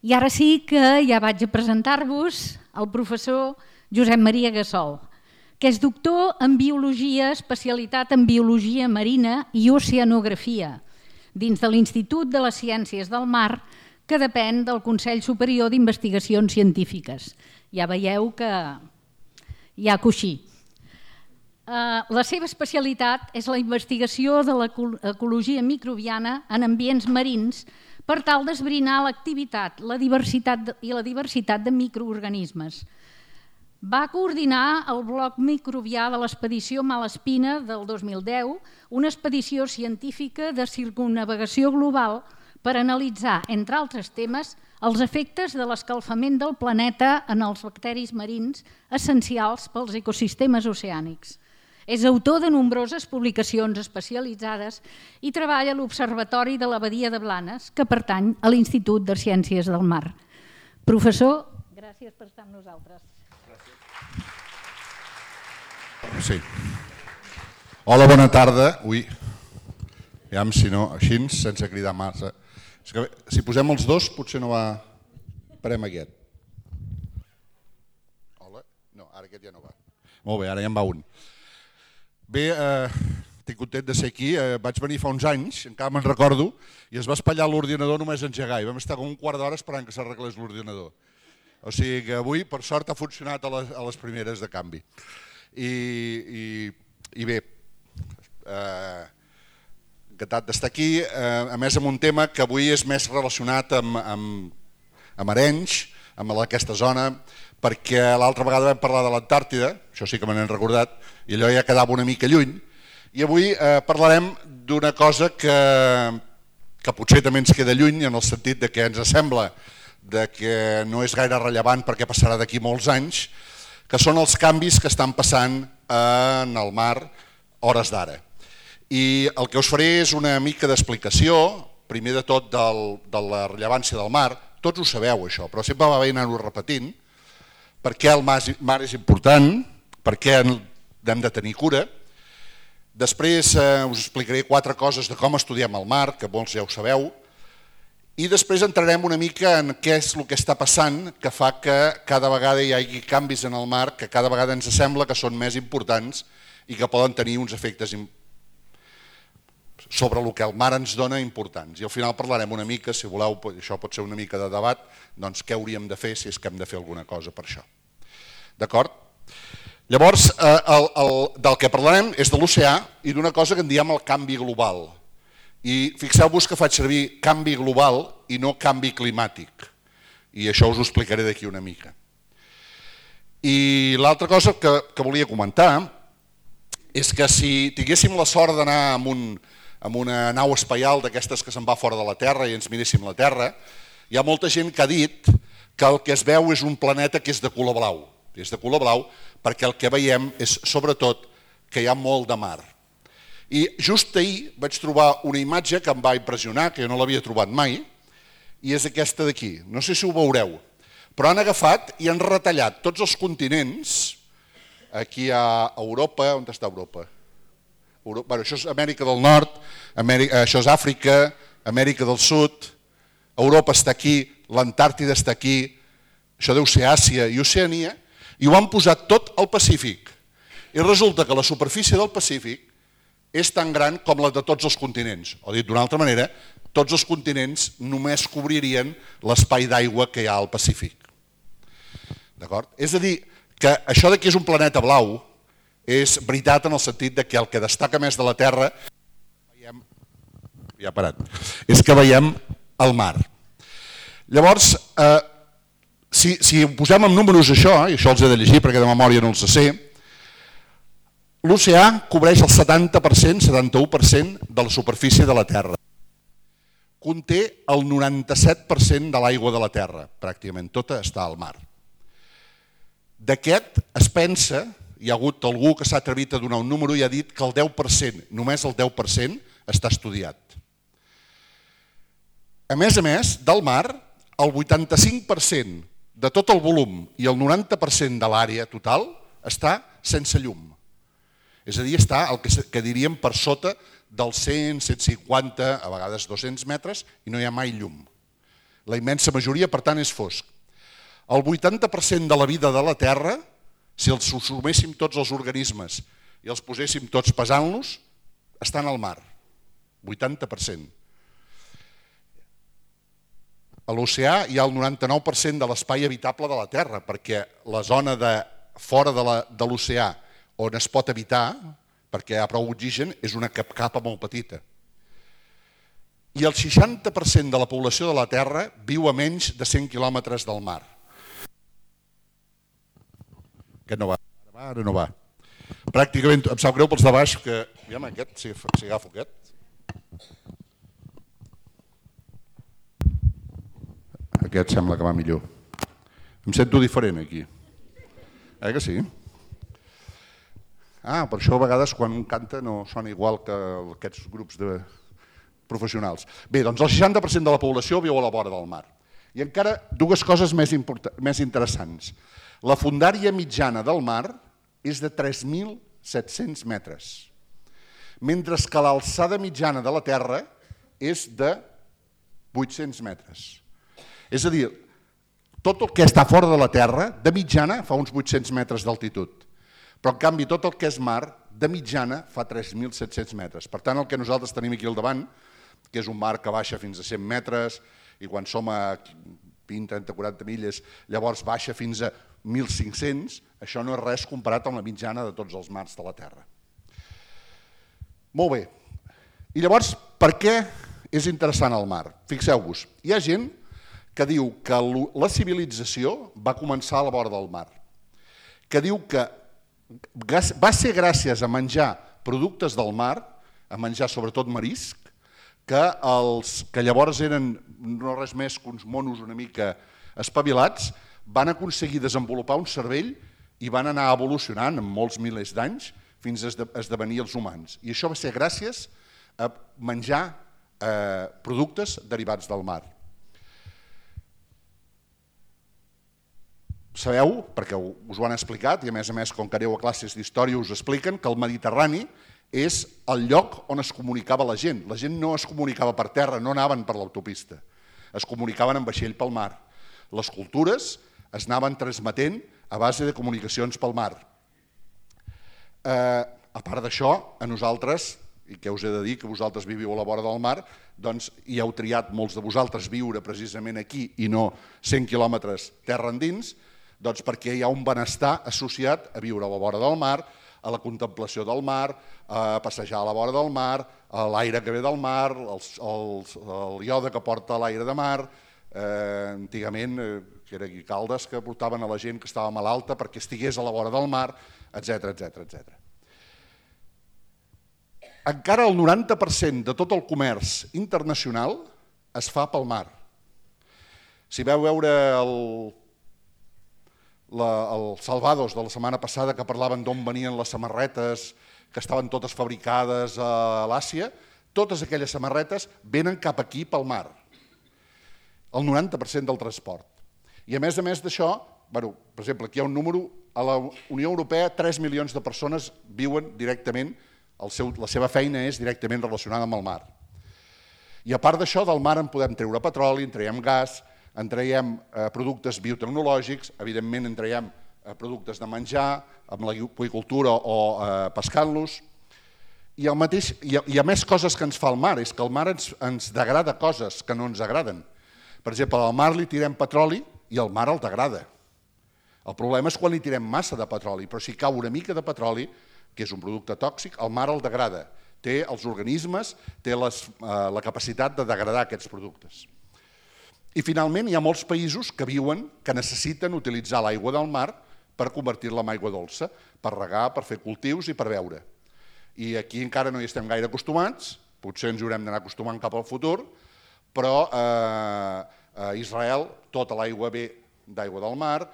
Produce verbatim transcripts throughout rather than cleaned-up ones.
I ara sí que ja vaig a presentar-vos el professor Josep Maria Gassol, que és doctor en Biologia, especialitat en Biologia Marina i Oceanografia, dins de l'Institut de les Ciències del Mar, que depèn del Consell Superior d'Investigacions Científiques. Ja veieu que hi ha coixí. La seva especialitat és la investigació de l'ecologia microbiana en ambients marins per tal d'esbrinar l'activitat la diversitat i la diversitat de microorganismes. Va coordinar el bloc microbià de l'expedició Malespina del dos mil deu, una expedició científica de circumnavegació global per analitzar, entre altres temes, els efectes de l'escalfament del planeta en els bacteris marins essencials pels ecosistemes oceànics. És autor de nombroses publicacions especialitzades i treballa a l'Observatori de la Badia de Blanes, que pertany a l'Institut de Ciències del Mar. Professor, gràcies per estar amb nosaltres. Sí. Hola, bona tarda. Ui, aviam si no, així, sense cridar massa. Si posem els dos, potser no va... Parem aquest. Hola? No, ara aquest ja no va. Molt bé, ara ja en va un. Bé, estic content de ser aquí. Vaig venir fa uns anys, encara me'n recordo, i es va espatllar l'ordinador només engegar. I vam estar com un quart d'hora esperant que s'arreglés l'ordinador. O sigui que avui, per sort, ha funcionat a les primeres de canvi. I bé, encantat d'estar aquí, a més amb un tema que avui és més relacionat amb Arenys, amb aquesta zona, perquè l'altra vegada vam parlar de l'Antàrtida, això sí que me n'hem recordat, i allò ja quedava una mica lluny, i avui parlarem d'una cosa que potser també ens queda lluny, en el sentit que ens sembla que no és gaire rellevant perquè passarà d'aquí molts anys, que són els canvis que estan passant en el mar hores d'ara. I el que us faré és una mica d'explicació, primer de tot de la rellevància del mar. Tots ho sabeu això, però sempre va bé anar-ho repetint, per què el mar és important, per què n'hem de tenir cura. Després us explicaré quatre coses de com estudiem el mar, que molts ja ho sabeu, i després entrarem una mica en què és el que està passant que fa que cada vegada hi hagi canvis en el mar que cada vegada ens sembla que són més importants i que poden tenir uns efectes sobre el que el mar ens dona importants. I al final parlarem una mica, si voleu, això pot ser una mica de debat, doncs què hauríem de fer si és que hem de fer alguna cosa per això. D'acord? Llavors, del que parlarem és de l'oceà i d'una cosa que en diem el canvi global. I fixeu-vos que faig servir canvi global i no canvi climàtic. I això us ho explicaré d'aquí una mica. I l'altra cosa que volia comentar és que si tinguéssim la sort d'anar amb una nau espaial d'aquestes que se'n va fora de la Terra i ens miréssim la Terra, hi ha molta gent que ha dit que el que es veu és un planeta que és de color blau. És de color blau perquè el que veiem és sobretot que hi ha molt de mar. I just ahir vaig trobar una imatge que em va impressionar, que jo no l'havia trobat mai, i és aquesta d'aquí. No sé si ho veureu, però han agafat i han retallat tots els continents. Aquí a Europa, on està Europa? Això és Amèrica del Nord, això és Àfrica, Amèrica del Sud, Europa està aquí, l'Antàrtida està aquí, això deu ser Àsia i Oceania, i ho han posat tot al Pacífic. I resulta que la superfície del Pacífic és tan gran com la de tots els continents. O dit d'una altra manera, tots els continents només cobririen l'espai d'aigua que hi ha al Pacífic. D'acord? És a dir, que això que és un planeta blau és veritat en el sentit que el que destaca més de la Terra ja ha parat, és que veiem el mar. Llavors, si ho posem en números això, i això els he de llegir perquè de memòria no els sé, l'oceà cobreix el setanta per cent, setanta-u per cent de la superfície de la Terra. Conté el noranta-set per cent de l'aigua de la Terra, pràcticament tota està al mar. D'aquest es pensa, hi ha hagut algú que s'ha atrevit a donar un número i ha dit que el deu per cent, només el deu per cent, està estudiat. A més a més, del mar, el vuitanta-cinc per cent de tot el volum i el noranta per cent de l'àrea total està sense llum. És a dir, està el que diríem per sota dels cent, cent cinquanta, a vegades dos-cents metres i no hi ha mai llum. La immensa majoria, per tant, és fosc. El vuitanta per cent de la vida de la Terra, si els suméssim tots els organismes i els poséssim tots pesant-los, estan al mar. vuitanta per cent. A l'oceà hi ha el noranta-nou per cent de l'espai habitable de la Terra, perquè la zona de fora de l'oceà on es pot habitar, perquè hi ha prou oxigen, és una capa molt petita. I el seixanta per cent de la població de la Terra viu a menys de cent quilòmetres del mar. Aquest no va, ara no va. Pràcticament, em sap greu pels de baix, que... Aviam, aquest, si, si agafo aquest. Aquest sembla que va millor. Em sento diferent aquí. Eh que sí? Ah, per això a vegades quan un canta no sona igual que aquests grups de professionals. Bé, doncs el seixanta per cent de la població viu a la vora del mar. I encara dues coses més, més interessants. La fondària mitjana del mar és de tres mil set-cents metres, mentre que l'alçada mitjana de la Terra és de vuit-cents metres. És a dir, tot el que està fora de la Terra, de mitjana, fa uns vuit-cents metres d'altitud, però en canvi tot el que és mar, de mitjana, fa tres mil set-cents metres. Per tant, el que nosaltres tenim aquí al davant, que és un mar que baixa fins a cent metres, i quan som a vint, trenta, quaranta milles, llavors baixa fins a mil cinc-cents, això no és res comparat amb la mitjana de tots els mars de la Terra. Molt bé. I llavors, per què és interessant el mar? Fixeu-vos, hi ha gent que diu que la civilització va començar a la vora del mar, que diu que va ser gràcies a menjar productes del mar, a menjar sobretot marisc, que, els, que llavors eren no res més que uns monos una mica espavilats, van aconseguir desenvolupar un cervell i van anar evolucionant en molts milers d'anys fins a esdevenir els humans. I això va ser gràcies a menjar eh, productes derivats del mar. Sabeu, perquè us ho han explicat, i a més a més, com que aneu a classes d'història, us expliquen que el Mediterrani és el lloc on es comunicava la gent. La gent no es comunicava per terra, no anaven per l'autopista, es comunicaven en vaixell pel mar. Les cultures es anaven transmetent a base de comunicacions pel mar. Eh, a part d'això, a nosaltres, i què us he de dir, que vosaltres viviu a la vora del mar, doncs hi heu triat molts de vosaltres viure precisament aquí i no cent quilòmetres terra endins, doncs perquè hi ha un benestar associat a viure a la vora del mar, a la contemplació del mar, a passejar a la vora del mar, a l'aire que ve del mar, els, els, el iode que porta l'aire de mar, eh, antigament, eh, que era aquí Caldes, que portaven a la gent que estava malalta perquè estigués a la vora del mar, etcètera, etcètera, etcètera. Encara el noranta per cent de tot el comerç internacional es fa pel mar. Si veu veure el els Salvados de la setmana passada que parlaven d'on venien les samarretes que estaven totes fabricades a l'Àsia, totes aquelles samarretes venen cap aquí pel mar, el noranta per cent del transport. I a més a més d'això, bueno, per exemple, aquí hi ha un número, a la Unió Europea tres milions de persones viuen directament, el seu, la seva feina és directament relacionada amb el mar. I a part d'això, del mar en podem treure petroli, en traiem gas, en traiem eh, productes biotecnològics, evidentment en traiem eh, productes de menjar, amb l'aqüicultura o eh, pescant-los, i, el mateix, i, i a més coses que ens fa el mar, és que el mar ens, ens degrada coses que no ens agraden. Per exemple, al mar li tirem petroli i el mar el degrada. El problema és quan li tirem massa de petroli, però si cau una mica de petroli, que és un producte tòxic, el mar el degrada. Té els organismes, té les, eh, la capacitat de degradar aquests productes. I finalment hi ha molts països que viuen, que necessiten utilitzar l'aigua del mar per convertir-la en aigua dolça, per regar, per fer cultius i per beure. I aquí encara no hi estem gaire acostumats, potser ens hi haurem d'anar acostumant cap al futur, però eh, a Israel tota l'aigua ve d'aigua del mar,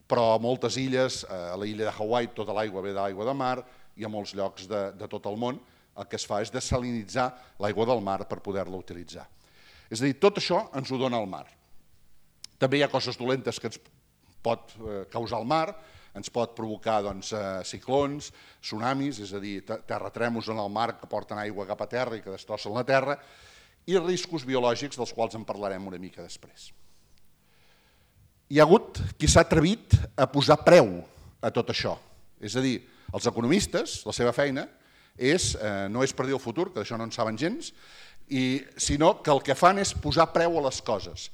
però a moltes illes, a l'illa de Hawaii tota l'aigua ve d'aigua de mar, i a molts llocs de, de tot el món el que es fa és desalinitzar l'aigua del mar per poder-la utilitzar. És a dir, tot això ens ho dona el mar. També hi ha coses dolentes que ens pot causar el mar, ens pot provocar doncs, ciclons, tsunamis, és a dir, terratrèmols en el mar que porten aigua cap a terra i que destrossen la terra, i riscos biològics dels quals en parlarem una mica després. hi ha hagut qui s'ha atrevit a posar preu a tot això. És a dir, els economistes, la seva feina, és, eh, no és predir el futur, que d'això no en saben gens, i, sinó que el que fan és posar preu a les coses.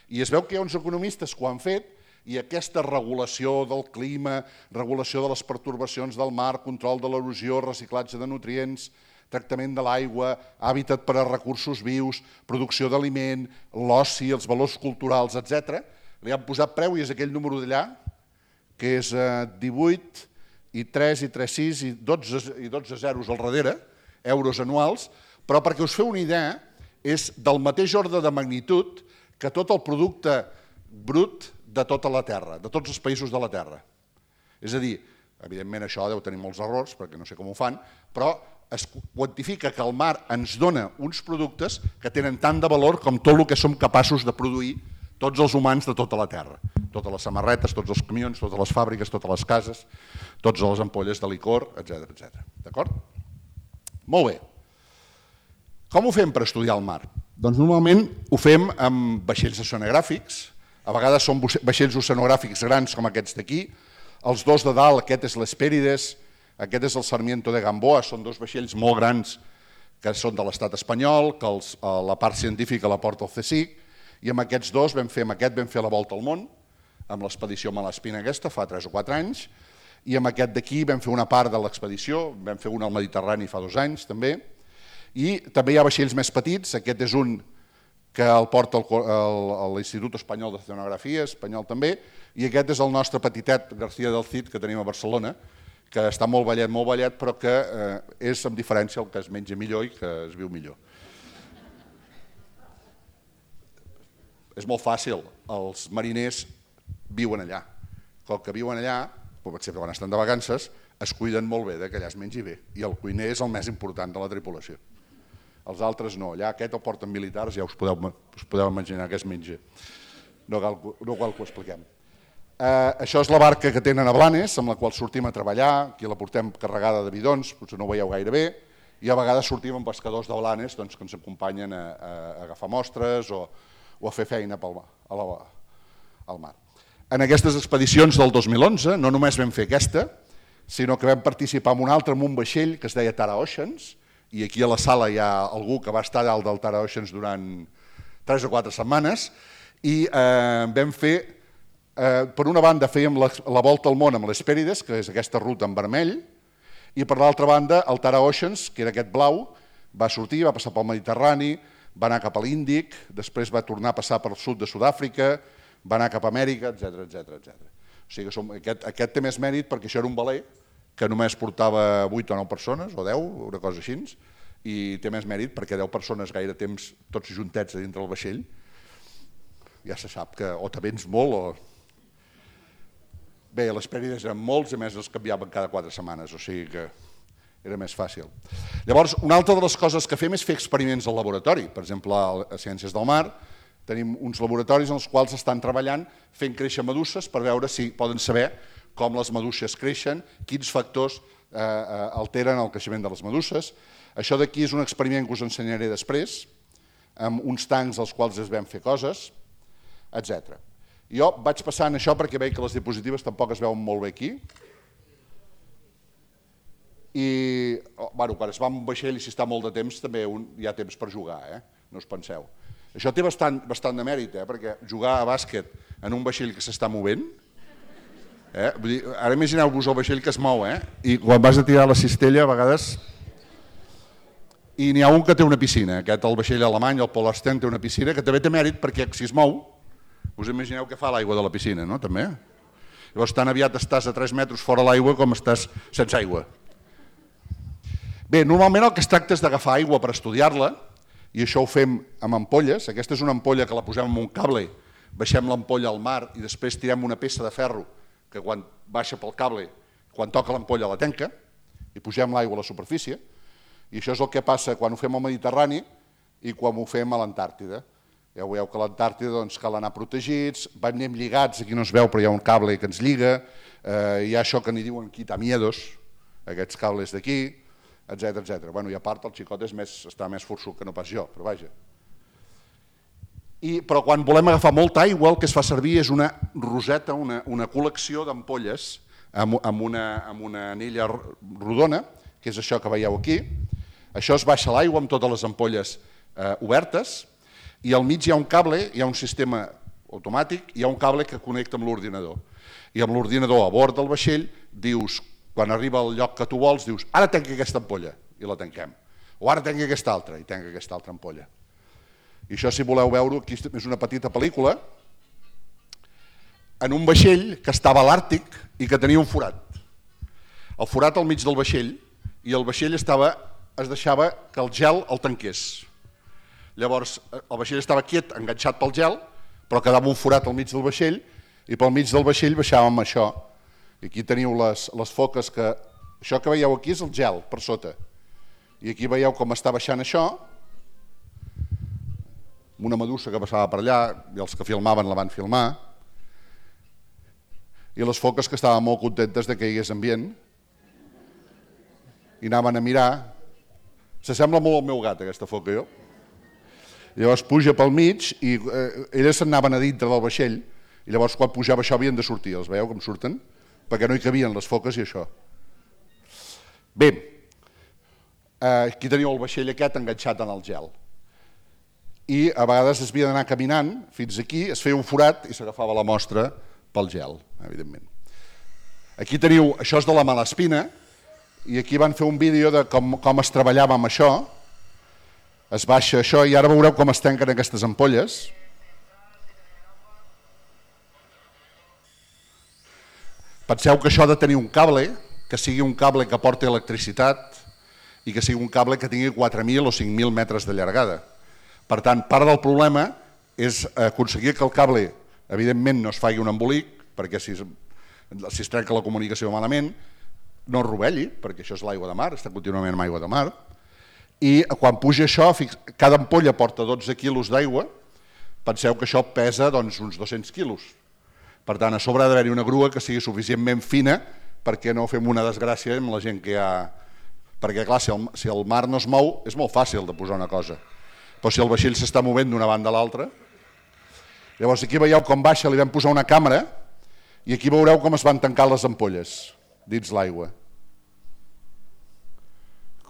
I es veu que hi ha uns economistes que ho han fet i aquesta regulació del clima, regulació de les pertorbacions del mar, control de l'erosió, reciclatge de nutrients, tractament de l'aigua, hàbitat per a recursos vius, producció d'aliment, l'oci, els valors culturals, etcètera, li han posat preu i és aquell número d'allà, que és divuit i tres i tres sis i dotze zeros al darrere, euros anuals, però perquè us feu una idea, és del mateix ordre de magnitud que tot el producte brut de tota la Terra, de tots els països de la Terra. És a dir, evidentment això deu tenir molts errors, perquè no sé com ho fan, però es quantifica que el mar ens dona uns productes que tenen tant de valor com tot el que som capaços de produir tots els humans de tota la Terra. Totes les samarretes, tots els camions, totes les fàbriques, totes les cases, totes les ampolles de licor, etcètera, etcètera. D'acord? Molt bé. Com ho fem per estudiar el mar? Doncs normalment ho fem amb vaixells oceanogràfics, a vegades són vaixells oceanogràfics grans com aquests d'aquí, els dos de dalt, aquest és l'Hespérides, aquest és el Sarmiento de Gamboa, són dos vaixells molt grans que són de l'estat espanyol, que els, la part científica la porta el CSIC, i amb aquests dos vam fer, amb aquest vam fer la volta al món, amb l'expedició Malaspina aquesta, fa tres o quatre anys, i amb aquest d'aquí vam fer una part de l'expedició, vam fer una al Mediterrani fa dos anys també, i també hi ha vaixells més petits, aquest és un que el porta l'Institut Espanyol d'Oceanografia, espanyol també, i aquest és el nostre petitet García del Cid que tenim a Barcelona, que està molt ballet, molt ballet, però que és amb diferència el que es menja millor i que es viu millor. És molt fàcil, els mariners viuen allà. Com que viuen allà, per exemple, quan estan de vacances, es cuiden molt bé que allà es mengi bé, i el cuiner és el més important de la tripulació. Els altres no, allà aquest el porten militars, ja us podeu, us podeu imaginar què es menja. No cal, no cal que ho expliquem. Eh, això és la barca que tenen a Blanes, amb la qual sortim a treballar, aquí la portem carregada de bidons, potser no ho veieu gaire bé, i a vegades sortim amb pescadors de Blanes doncs, que ens acompanyen a, a, a agafar mostres o, o a fer feina pel, a la, al mar. En aquestes expedicions del dos mil onze no només vam fer aquesta, sinó que vam participar en un altre amb un vaixell que es deia Tara Oceans, i aquí a la sala hi ha algú que va estar dalt del Tara Oceans durant tres o quatre setmanes, i eh, vam fer, eh, per una banda fèiem la, la volta al món amb l'Hespérides, que és aquesta ruta en vermell, i per l'altra banda el Tara Oceans, que era aquest blau, va sortir, va passar pel Mediterrani, va anar cap a l'Índic, després va tornar a passar pel sud de Sud-àfrica, va anar cap a Amèrica, etcètera, etcètera, etcètera. O sigui que som, aquest, aquest té més mèrit perquè això era un veler que només portava vuit o nou persones, o deu, una cosa així, i té més mèrit perquè deu persones gaire temps tots juntets a dintre del vaixell, ja se sap que o te vens molt o... Bé, les pèrdides eren molts, a més els canviaven cada quatre setmanes, o sigui que era més fàcil. Llavors, una altra de les coses que fem és fer experiments al laboratori. Per exemple, a Ciències del Mar tenim uns laboratoris en els quals estan treballant fent créixer meduses per veure si poden saber com les meduses creixen, quins factors eh, alteren el creixement de les meduses. Això d'aquí és un experiment que us ensenyaré després, amb uns tancs als quals es vam fer coses, etcètera. Jo vaig passant això perquè veig que les diapositives tampoc es veuen molt bé aquí. I oh, bueno, quan es va amb un vaixell i si està molt de temps també un, hi ha temps per jugar, eh? No us penseu. Això té bastant, bastant de mèrit, eh? Perquè jugar a bàsquet en un vaixell que s'està movent, eh? Vull dir, ara imagineu-vos el vaixell que es mou, eh? I quan vas a tirar la cistella a vegades... I n'hi ha un que té una piscina, aquest el vaixell alemany, el Polar Stern, té una piscina que també té mèrit perquè si es mou, us imagineu què fa l'aigua de la piscina, no? També. Llavors tan aviat estàs a tres metres fora l'aigua com estàs sense aigua. Bé, normalment el que es tracta és d'agafar aigua per estudiar-la, i això ho fem amb ampolles. Aquesta és una ampolla que la posem amb un cable, baixem l'ampolla al mar i després tirem una peça de ferro que quan baixa pel cable, quan toca l'ampolla la tanca, i posem l'aigua a la superfície. I això és el que passa quan ho fem al Mediterrani i quan ho fem a l'Antàrtida. Ja veieu que a l'Antàrtida doncs, cal anar protegits, anem lligats, aquí no es veu però hi ha un cable que ens lliga, eh, hi ha això que n'hi diuen quitamiedos, aquests cables d'aquí, etcètera, etcètera. Bueno, i a part el xicot és més, està més forçut que no pas jo, però vaja. I, però quan volem agafar molta aigua el que es fa servir és una roseta, una, una col·lecció d'ampolles amb, amb, una, amb una anella rodona, que és això que veieu aquí. Això es baixa l'aigua amb totes les ampolles eh, obertes i al mig hi ha un cable, hi ha un sistema automàtic, hi ha un cable que connecta amb l'ordinador. I amb l'ordinador a bord del vaixell dius, quan arriba al lloc que tu vols, dius, ara tanca aquesta ampolla, i la tanquem. O ara tanca aquesta altra, i tanca aquesta altra ampolla. I això, si voleu veure, aquí és una petita pel·lícula, en un vaixell que estava a l'Àrtic i que tenia un forat. El forat al mig del vaixell, i el vaixell estava, es deixava que el gel el tanqués. Llavors, el vaixell estava quiet, enganxat pel gel, però quedava un forat al mig del vaixell, i pel mig del vaixell baixàvem això. I aquí teniu les, les foques que... Això que veieu aquí és el gel, per sota. I aquí veieu com està baixant això, una medusa que passava per allà, i els que filmaven la van filmar, i les foques que estaven molt contentes de que hi hagués ambient, i anaven a mirar. S'assembla molt al meu gat, aquesta foca, jo. Llavors puja pel mig i eh, elles s'anaven a dintre del vaixell i llavors quan pujava això havien de sortir, els veieu com surten? Perquè no hi cabien les foques i això. Bé, eh, aquí teniu el vaixell aquest enganxat en el gel. I a vegades es havia d'anar caminant fins aquí, es feia un forat i s'agafava la mostra pel gel, evidentment. Aquí teniu, això és de la Malaspina, i aquí van fer un vídeo de com, com es treballava amb això. Es baixa això i ara veureu com es tanquen aquestes ampolles. Penseu que això ha de tenir un cable, que sigui un cable que porti electricitat i que sigui un cable que tingui quatre mil o cinc mil metres de llargada. Per tant, part del problema és aconseguir que el cable, evidentment, no es faci un embolic, perquè si es, si es trenca la comunicació malament, no es rovelli, perquè això és l'aigua de mar, està contínuament amb aigua de mar. I quan puja això, cada ampolla porta dotze quilos d'aigua, penseu que això pesa doncs, uns dos-cents quilos. Per tant, a sobre ha d'haver-hi una grua que sigui suficientment fina perquè no fem una desgràcia amb la gent que hi ha... Perquè, clar, si el, si el mar no es mou, és molt fàcil de posar una cosa. Però si el vaixell s'està movent d'una banda a l'altra... Llavors, aquí veieu com baixa, li vam posar una càmera i aquí veureu com es van tancar les ampolles dins l'aigua.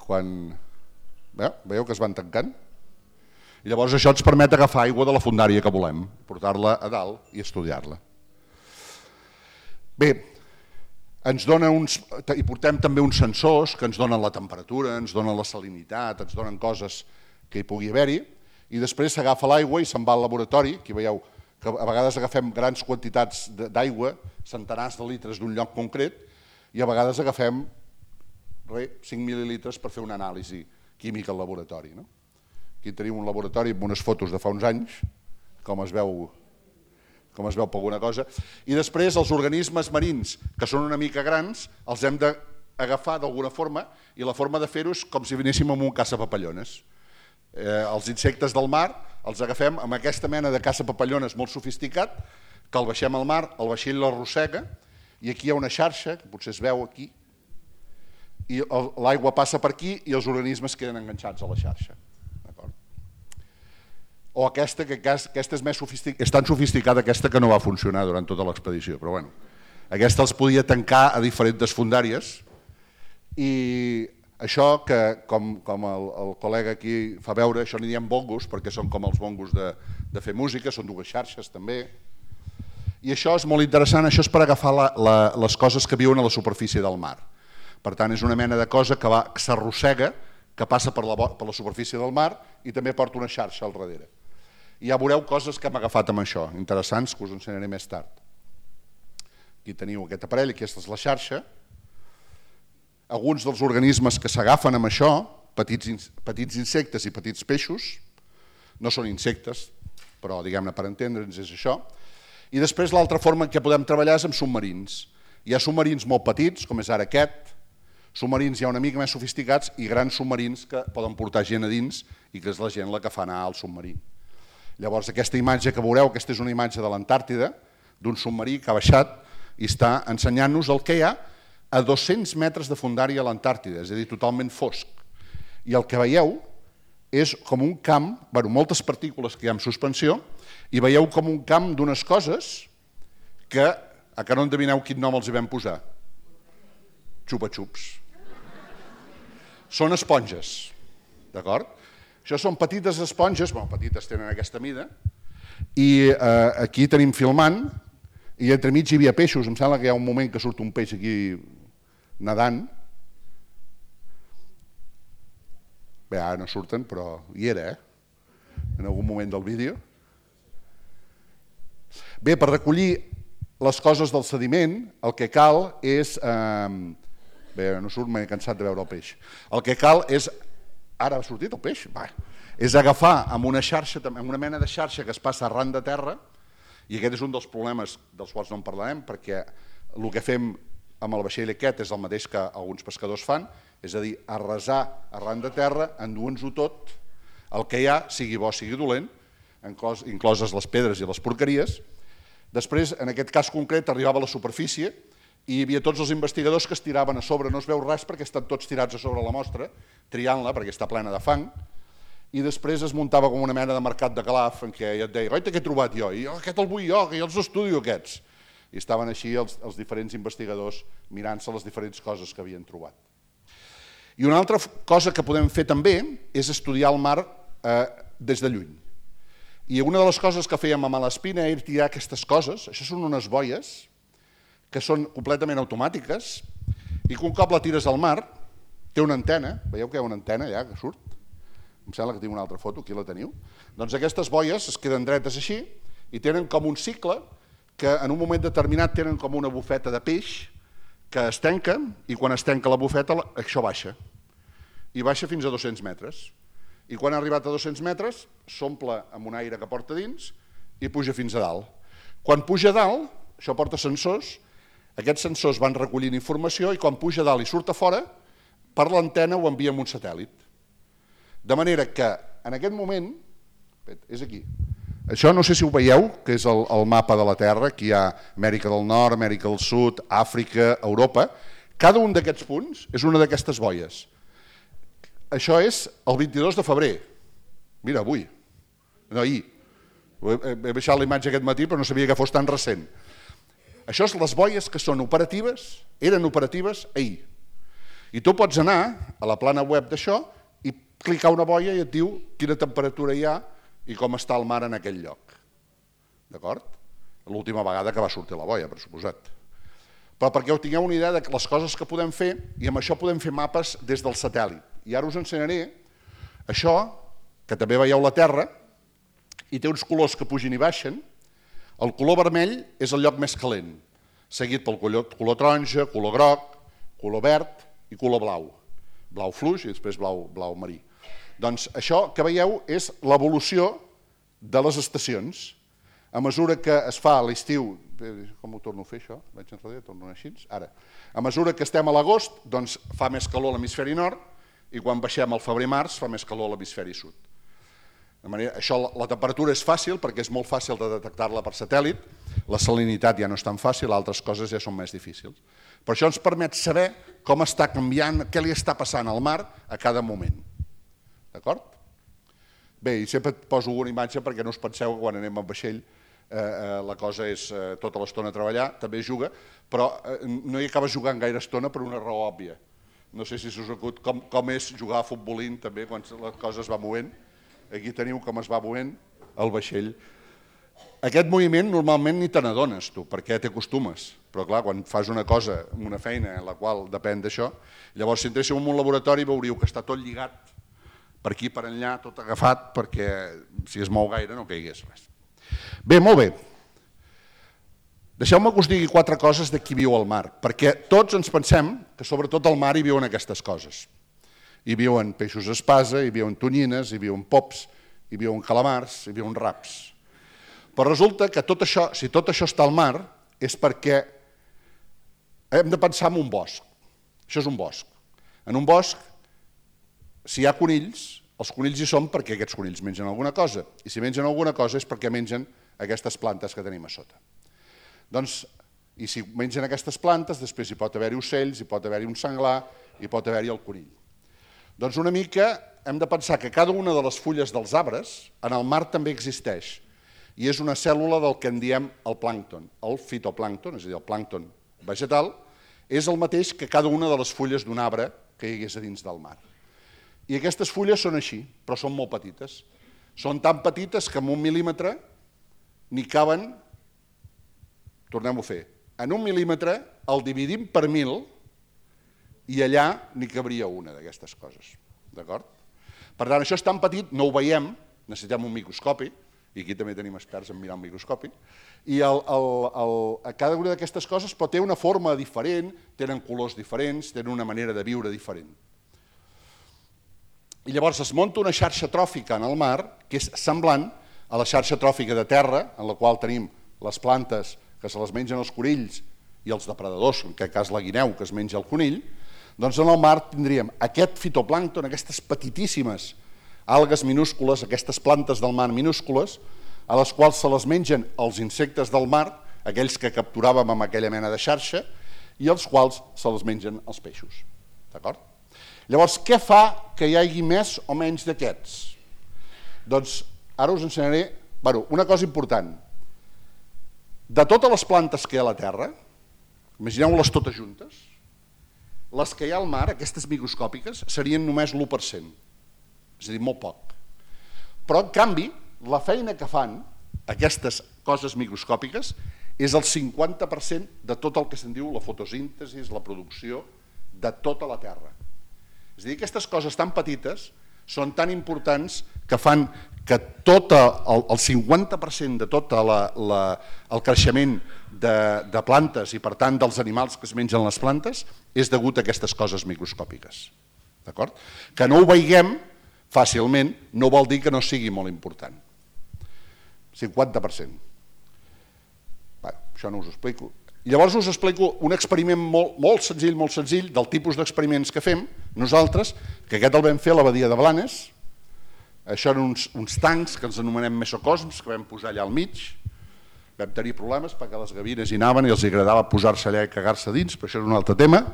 Quan... Veieu que es van tancant? I llavors això ens permet agafar aigua de la fondària que volem, portar-la a dalt i estudiar-la. Bé, ens dona uns, i portem també uns sensors que ens donen la temperatura, ens donen la salinitat, ens donen coses que hi pugui haver-hi, i després s'agafa l'aigua i se'n va al laboratori, aquí veieu que a vegades agafem grans quantitats d'aigua, centenars de litres d'un lloc concret, i a vegades agafem res, cinc mil·lilitres per fer una anàlisi química al laboratori. No? Aquí tenim un laboratori amb unes fotos de fa uns anys, com es veu, com es veu per alguna cosa. I després els organismes marins, que són una mica grans, els hem d'agafar d'alguna forma, i la forma de fer-ho és com si vinéssim amb un caça-papallones. Eh, els insectes del mar els agafem amb aquesta mena de caça-papallones molt sofisticat, que el baixem al mar, el vaixell l'arrossega, i aquí hi ha una xarxa, que potser es veu aquí, i l'aigua passa per aquí i els organismes queden enganxats a la xarxa. O aquesta, que aquesta és, més sofistic... és tan sofisticada aquesta que no va funcionar durant tota l'expedició, però bueno, aquesta els podia tancar a diferents fondàries i això que, com, com el, el col·lega aquí fa veure, això n'hi diem bongos, perquè són com els bongos de, de fer música, són dues xarxes també, i això és molt interessant, això és per agafar la, la, les coses que viuen a la superfície del mar. Per tant, és una mena de cosa que, que s'arrossega, que passa per la, per la superfície del mar i també porta una xarxa al darrere. I ja veureu coses que hem agafat amb això, interessants, que us ensenyaré més tard. Aquí teniu aquest aparell, aquesta és la xarxa. Alguns dels organismes que s'agafen amb això, petits, petits insectes i petits peixos, no són insectes, però diguem-ne per entendre'ns és això. I després l'altra forma en què podem treballar és amb submarins. Hi ha submarins molt petits, com és ara aquest, submarins ja una mica més sofisticats i grans submarins que poden portar gent a dins i que és la gent la que fa anar al submarí. Llavors aquesta imatge que veureu, aquesta és una imatge de l'Antàrtida, d'un submarí que ha baixat i està ensenyant-nos el que hi ha a dos-cents metres de fondària a l'Antàrtida, és a dir, totalment fosc. I el que veieu és com un camp, bueno, moltes partícules que hi ha en suspensió, i veieu com un camp d'unes coses que, a que no endevineu quin nom els hi vam posar? Xupa-xups. Són esponges, d'acord? Això són petites esponges, bueno, petites tenen aquesta mida, i eh, aquí tenim filmant, i entremig hi havia peixos, em sembla que hi ha un moment que surt un peix aquí nedant. Bé, ara no surten, però hi era, eh? En algun moment del vídeo. Bé, per recollir les coses del sediment, el que cal és... Eh, bé, no surt, m'he cansat de veure el peix. El que cal és... Ara ha sortit el peix? Va. És agafar amb una xarxa, amb una mena de xarxa que es passa arran de terra, i aquest és un dels problemes dels quals no en parlarem, perquè el que fem amb el vaixell aquest és el mateix que alguns pescadors fan, és a dir, arrasar arran de terra, enduent-ho tot, el que hi ha, sigui bo, sigui dolent, incloses les pedres i les porqueries. Després, en aquest cas concret, arribava a la superfície i hi havia tots els investigadors que es tiraven a sobre, no es veu res perquè estan tots tirats a sobre la mostra, triant-la perquè està plena de fang, i després es muntava com una mena de mercat de Calaf en què et deia, oita, què he trobat jo? I jo, aquest el vull jo, que jo els estudio aquests. I estaven així els, els diferents investigadors mirant-se les diferents coses que havien trobat. I una altra cosa que podem fer també és estudiar el mar eh, des de lluny. I una de les coses que fèiem a Malaspina era tirar aquestes coses, això són unes boies que són completament automàtiques i que un cop la tires al mar té una antena, veieu que hi ha una antena allà que surt? Em sembla que tinc una altra foto, aquí la teniu. Doncs aquestes boies es queden dretes així i tenen com un cicle que en un moment determinat tenen com una bufeta de peix que es tanca i quan es tanca la bufeta això baixa. I baixa fins a dos-cents metres. I quan ha arribat a dos-cents metres s'omple amb un aire que porta dins i puja fins a dalt. Quan puja a dalt, això porta sensors, aquests sensors van recollint informació i quan puja a dalt i surt a fora, per l'antena ho envia amb un satèl·lit. De manera que en aquest moment, és aquí, això no sé si ho veieu, que és el, el mapa de la Terra, aquí hi ha Amèrica del Nord, Amèrica del Sud, Àfrica, Europa, cada un d'aquests punts és una d'aquestes boies. Això és el vint-i-dos de febrer, mira, avui, no ahir, he baixat la imatge aquest matí però no sabia que fos tan recent. Això és les boies que són operatives, eren operatives ahir. I tu pots anar a la plana web d'això i clicar una boia i et diu quina temperatura hi ha i com està el mar en aquell lloc. D'acord? L'última vegada que va sortir la boia, per suposat. Però perquè ho tingueu una idea de les coses que podem fer i amb això podem fer mapes des del satèl·lit. I ara us ensenyaré això, que també veieu la Terra, i té uns colors que pugen i baixen. El color vermell és el lloc més calent, seguit pel color, color taronja, color groc, color verd i color blau. Blau fluix i després blau, blau marí. Doncs això que veieu és l'evolució de les estacions. A mesura que es fa a l'estiu, com ho torno a fer això? Vaig enrere, torno així, ara. A mesura que estem a l'agost, doncs fa més calor a l'hemisferi nord i quan baixem al febrer-març fa més calor a l'hemisferi sud. De manera, això, la temperatura és fàcil perquè és molt fàcil de detectar-la per satèl·lit, la salinitat ja no és tan fàcil, altres coses ja són més difícils. Per això ens permet saber com està canviant, què li està passant al mar a cada moment. D'acord? Bé, i sempre et poso una imatge perquè no us penseu que quan anem amb vaixell la cosa és tota l'estona a treballar, també juga, però no hi acabes jugant gaire estona per una raó òbvia. No sé si us acut com és jugar a futbolín també quan la cosa es va movent. Aquí teniu com es va movent el vaixell. Aquest moviment normalment ni te n'adones tu, perquè t'hi acostumes. Però clar, quan fas una cosa, una feina en la qual depèn d'això, llavors si entréssiu en un laboratori veuríeu que està tot lligat per aquí, per enllà, tot agafat, perquè si es mou gaire no caigués res. Bé, molt bé. Deixeu-me que us digui quatre coses de qui viu al mar, perquè tots ens pensem que sobretot al mar hi viuen aquestes coses. Hi viuen peixos espasa, hi viuen tonyines, hi viuen pops, hi viuen calamars, hi viuen raps. Però resulta que tot això, si tot això està al mar, és perquè hem de pensar en un bosc. Això és un bosc. En un bosc, si hi ha conills, els conills hi són perquè aquests conills mengen alguna cosa, i si mengen alguna cosa és perquè mengen aquestes plantes que tenim a sota. Doncs, i si mengen aquestes plantes, després hi pot haver-hi ocells, hi pot haver-hi un senglar, hi pot haver-hi el conill. Doncs una mica hem de pensar que cada una de les fulles dels arbres en el mar també existeix. i és una cèl·lula del que en diem el plàncton. El fitoplàncton, és a dir, el plàncton vegetal, és el mateix que cada una de les fulles d'un arbre que hi hagués a dins del mar. I aquestes fulles són així, però són molt petites. Són tan petites que en un mil·límetre n'hi caben, tornem-ho a fer, en un mil·límetre el dividim per mil i allà n'hi cabria una d'aquestes coses. D'acord? Per tant, això és tan petit, no ho veiem, necessitem un microscopi, i aquí també tenim experts en mirar el microscopi, i el, el, el, cada una d'aquestes coses però té una forma diferent, tenen colors diferents, tenen una manera de viure diferent. I llavors es munta una xarxa tròfica en el mar que és semblant a la xarxa tròfica de terra, en la qual tenim les plantes que se les mengen els conills i els depredadors, en aquest cas la guineu que es menja el conill, doncs en el mar tindríem aquest fitoplàncton, aquestes petitíssimes algues minúscules, aquestes plantes del mar minúscules, a les quals se les mengen els insectes del mar, aquells que capturàvem amb aquella mena de xarxa, i els quals se les mengen els peixos. D'acord? Llavors, què fa que hi hagi més o menys d'aquests? Doncs ara us ensenyaré bueno, una cosa important. De totes les plantes que hi ha a la Terra, imagineu-les totes juntes, les que hi ha al mar, aquestes microscòpiques, serien només l'u per cent. És a dir, molt poc. Però, en canvi, la feina que fan aquestes coses microscòpiques és el cinquanta per cent de tot el que se'n diu la fotosíntesi, la producció de tota la Terra. És a dir, aquestes coses tan petites són tan importants que fan que tot el, el cinquanta per cent de tot la, la, el creixement de, de plantes i, per tant, dels animals que es mengen les plantes és degut a aquestes coses microscòpiques. D'acord? Que no ho veiguem fàcilment no vol dir que no sigui molt important. cinquanta per cent. Bé, això no us ho explico. Llavors us explico un experiment molt, molt senzill, molt senzill, del tipus d'experiments que fem nosaltres, que aquest el vam fer a la badia de Blanes. Això eren uns, uns tancs que ens anomenem mesocosms, que vam posar allà al mig. Vam tenir problemes perquè les gavines hi anaven i els agradava posar-se allà i cagar-se dins, però això és un altre tema.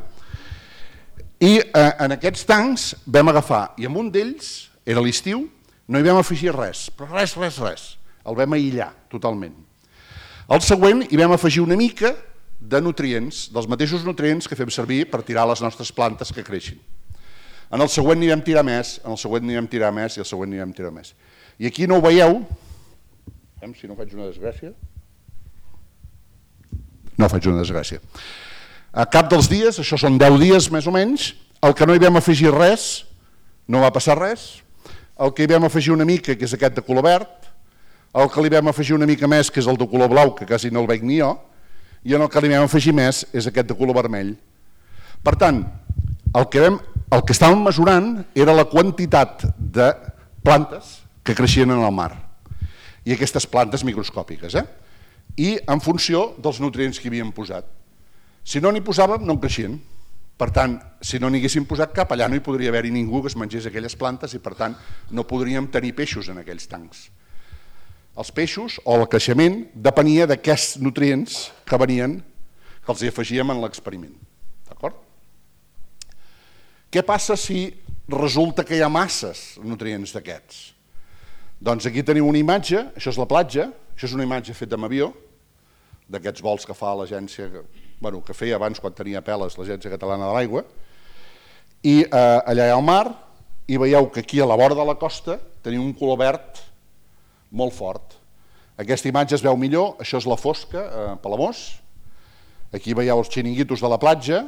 I eh, en aquests tancs vam agafar, i en un d'ells, era l'estiu, no hi vam afegir res, però res, res, res. El vam aïllar totalment. Al següent hi vam afegir una mica de nutrients, dels mateixos nutrients que fem servir per tirar les nostres plantes que creixin. En el següent n'hi vam tirar més, en el següent n'hi vam tirar més i el següent n'hi vam tirar més. I aquí no ho veieu, si no faig una desgràcia, no faig una desgràcia. A cap dels dies, això són deu dies més o menys, el que no hi vam afegir res, no va passar res, el que hi vam afegir una mica, que és aquest de color verd, el que li vam afegir una mica més, que és el de color blau, que quasi no el veig ni jo, i en el que li vam afegir més és aquest de color vermell. Per tant, el que, vam, el que estàvem mesurant era la quantitat de plantes que creixien en el mar, i aquestes plantes microscòpiques, eh? I en funció dels nutrients que hi havíem posat. Si no n'hi posàvem, no en creixien. Per tant, si no n'hi haguéssim posat cap, allà no hi podria haver-hi ningú que es mengés aquelles plantes i, per tant, no podríem tenir peixos en aquells tancs. Els peixos, o el creixement, depenia d'aquests nutrients que venien, que els hi afegíem en l'experiment. D'acord? Què passa si resulta que hi ha masses nutrients d'aquests? Doncs aquí teniu una imatge, això és la platja, això és una imatge feta amb avió, d'aquests vols que fa l'agència, bueno, que feia abans quan tenia peles l'Agència Catalana de l'Aigua, i eh, allà hi ha el mar, i veieu que aquí a la vora de la costa teniu un color verd molt fort. Aquesta imatge es veu millor, això és la fosca, a Palamós, aquí veieu els xiringuitos de la platja,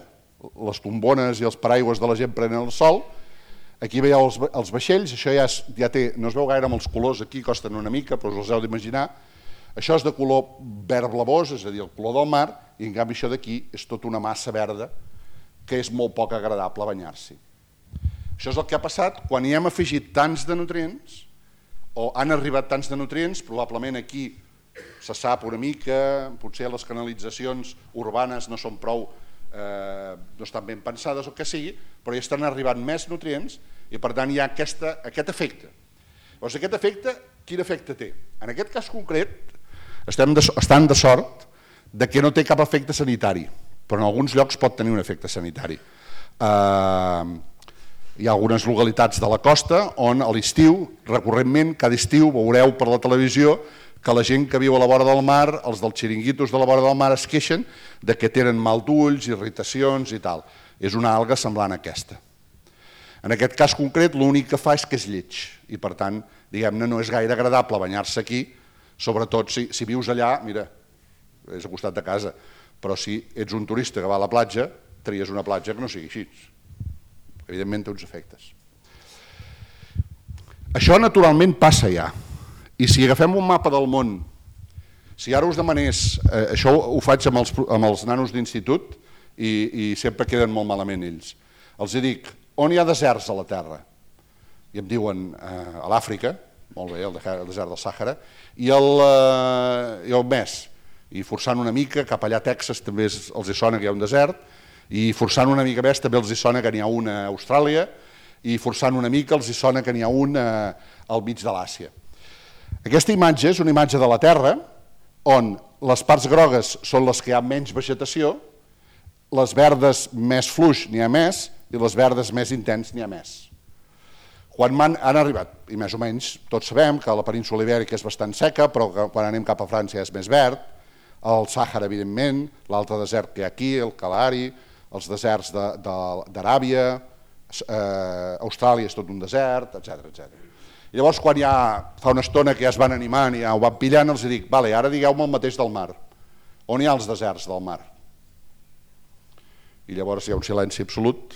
les tombones i els paraigües de la gent prenent el sol, aquí veieu els, els vaixells, això ja, és, ja té, no es veu gaire amb els colors, aquí costen una mica, però us els heu d'imaginar. Això és de color verd blavós, és a dir, el color del mar, i en canvi això d'aquí és tota una massa verda que és molt poc agradable banyar-s'hi. Això és el que ha passat quan hi hem afegit tants de nutrients, o han arribat tants de nutrients, probablement aquí se sap una mica, potser les canalitzacions urbanes no són prou, eh, no estan ben pensades o que sigui, però hi estan arribant més nutrients i per tant hi ha aquesta, aquest efecte. Llavors aquest efecte, quin efecte té? En aquest cas concret estem de, estan de sort de que no té cap efecte sanitari, però en alguns llocs pot tenir un efecte sanitari. Eh, hi ha algunes localitats de la costa on a l'estiu, recurrentment, cada estiu veureu per la televisió que la gent que viu a la vora del mar, els dels xiringuitos de la vora del mar, es queixen de que tenen mal d'ulls, irritacions i tal. És una alga semblant a aquesta. En aquest cas concret, l'únic que fa és que és lleig i, per tant, diguem-ne, no és gaire agradable banyar-se aquí, sobretot si, si vius allà, mira, és a costat de casa, però si ets un turista que va a la platja, tries una platja que no sigui així. Evidentment té uns efectes. Això naturalment passa ja. I si agafem un mapa del món, si ara us demanés, eh, això ho faig amb els, amb els nanos d'institut i, i sempre queden molt malament ells, els dic, on hi ha deserts a la Terra? I em diuen, eh, a l'Àfrica, molt bé, el desert del Sàhara, i el, eh, i el Mes, i forçant una mica, cap allà a Texas també els hi sona que hi ha un desert, i forçant una mica més també els hi sona que n'hi ha un a Austràlia, i forçant una mica els hi sona que n'hi ha un eh, al mig de l'Àsia. Aquesta imatge és una imatge de la Terra on les parts grogues són les que hi ha menys vegetació, les verdes més fluix n'hi ha més i les verdes més intens n'hi ha més. Quan han, han arribat, i més o menys tots sabem que la península ibèrica és bastant seca, però que quan anem cap a França és més verd, el Sàhara evidentment, l'altre desert que hi ha aquí, el Kalahari, els deserts d'Aràbia, eh, Austràlia és tot un desert, etcètera, etcètera. I llavors, quan ja fa una estona que ja es van animant i ja ho van pillant, els dic, vale, ara digueu-me el mateix del mar. On hi ha els deserts del mar? I llavors hi ha un silenci absolut.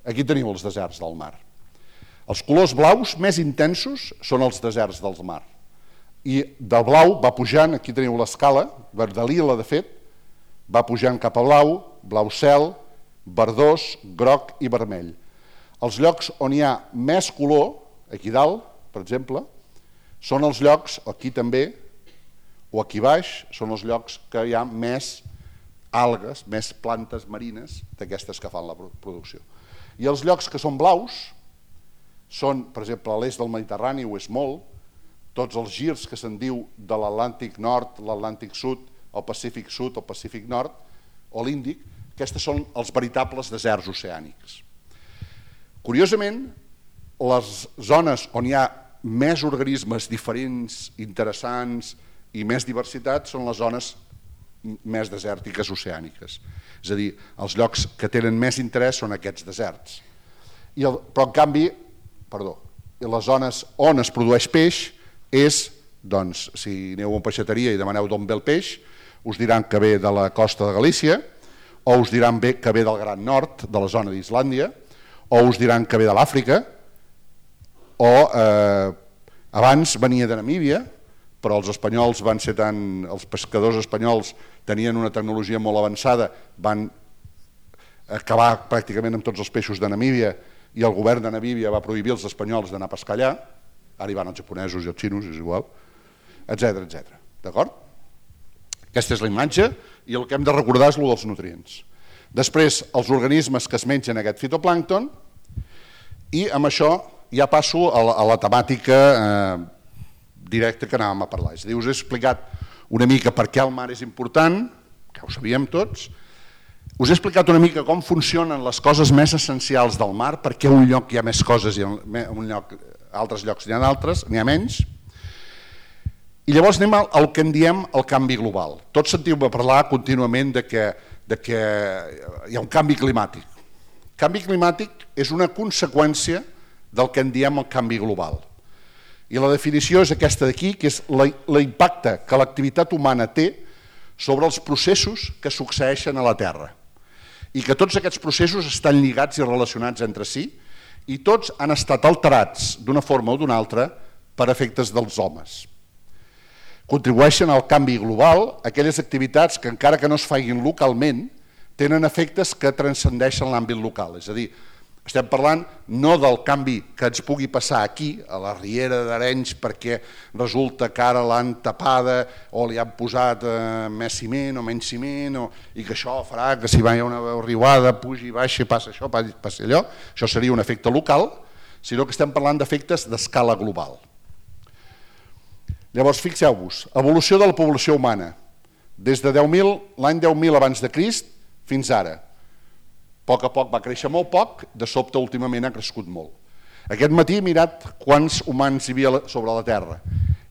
Aquí teniu els deserts del mar. Els colors blaus més intensos són els deserts del mar. I del blau va pujant, aquí teniu l'escala, de lila de fet, va pujant cap a blau, blau cel, verdós, groc i vermell. Els llocs on hi ha més color, aquí dalt, per exemple, són els llocs, aquí també, o aquí baix, són els llocs que hi ha més algues, més plantes marines d'aquestes que fan la producció. I els llocs que són blaus són, per exemple, a l'est del Mediterrani ho és molt, tots els girs que se'n diu de l'Atlàntic Nord, l'Atlàntic Sud, el Pacífic Sud, el Pacífic Nord, o l'Índic, aquests són els veritables deserts oceànics. Curiosament, les zones on hi ha més organismes diferents, interessants i més diversitat són les zones més desèrtiques oceàniques. És a dir, els llocs que tenen més interès són aquests deserts. I el, però en canvi, perdó, les zones on es produeix peix és, doncs, si aneu a una peixateria i demaneu d'on ve el peix, us diran que ve de la costa de Galícia, o us diran que ve del Gran Nord, de la zona d'Islàndia, o us diran que ve de l'Àfrica, o eh, abans venia de Namíbia, però els espanyols van ser tan... els pescadors espanyols tenien una tecnologia molt avançada, van acabar pràcticament amb tots els peixos de Namíbia i el govern de Namíbia va prohibir als espanyols d'anar a pescar allà, ara hi van els japonesos i els xinos, és igual, etcètera, etcètera. D'acord? Aquesta és la imatge i el que hem de recordar és el dels nutrients. Després, els organismes que es mengen aquest fitoplàncton i amb això ja passo a la, a la temàtica eh, directa que anàvem a parlar. És a dir, us he explicat una mica per què el mar és important, que ho sabíem tots, us he explicat una mica com funcionen les coses més essencials del mar, per què un lloc hi ha més coses i en un lloc, altres llocs n'hi ha d'altres, n'hi ha menys. I llavors anem al que en diem el canvi global. Tots sentiu-me parlar contínuament de que de que hi ha un canvi climàtic. El canvi climàtic és una conseqüència del que en diem el canvi global. I la definició és aquesta d'aquí, que és l'impacte que l'activitat humana té sobre els processos que succeeixen a la Terra. I que tots aquests processos estan lligats i relacionats entre si i tots han estat alterats d'una forma o d'una altra per efectes dels homes. Contribueixen al canvi global aquelles activitats que, encara que no es facin localment, tenen efectes que transcendeixen l'àmbit local. És a dir, estem parlant no del canvi que ens pugui passar aquí, a la riera d'Arenys, perquè resulta que ara l'han tapada o li han posat eh, més ciment o menys ciment, o, i que això farà que si va hi ha una riuada, pugi, baixa, passa això, passa allò. Això seria un efecte local, sinó que estem parlant d'efectes d'escala global. Llavors, fixeu-vos, evolució de la població humana, des de l'any deu mil abans de Crist fins ara. A poc a poc va créixer molt poc, de sobte últimament ha crescut molt. Aquest matí he mirat quants humans hi havia sobre la Terra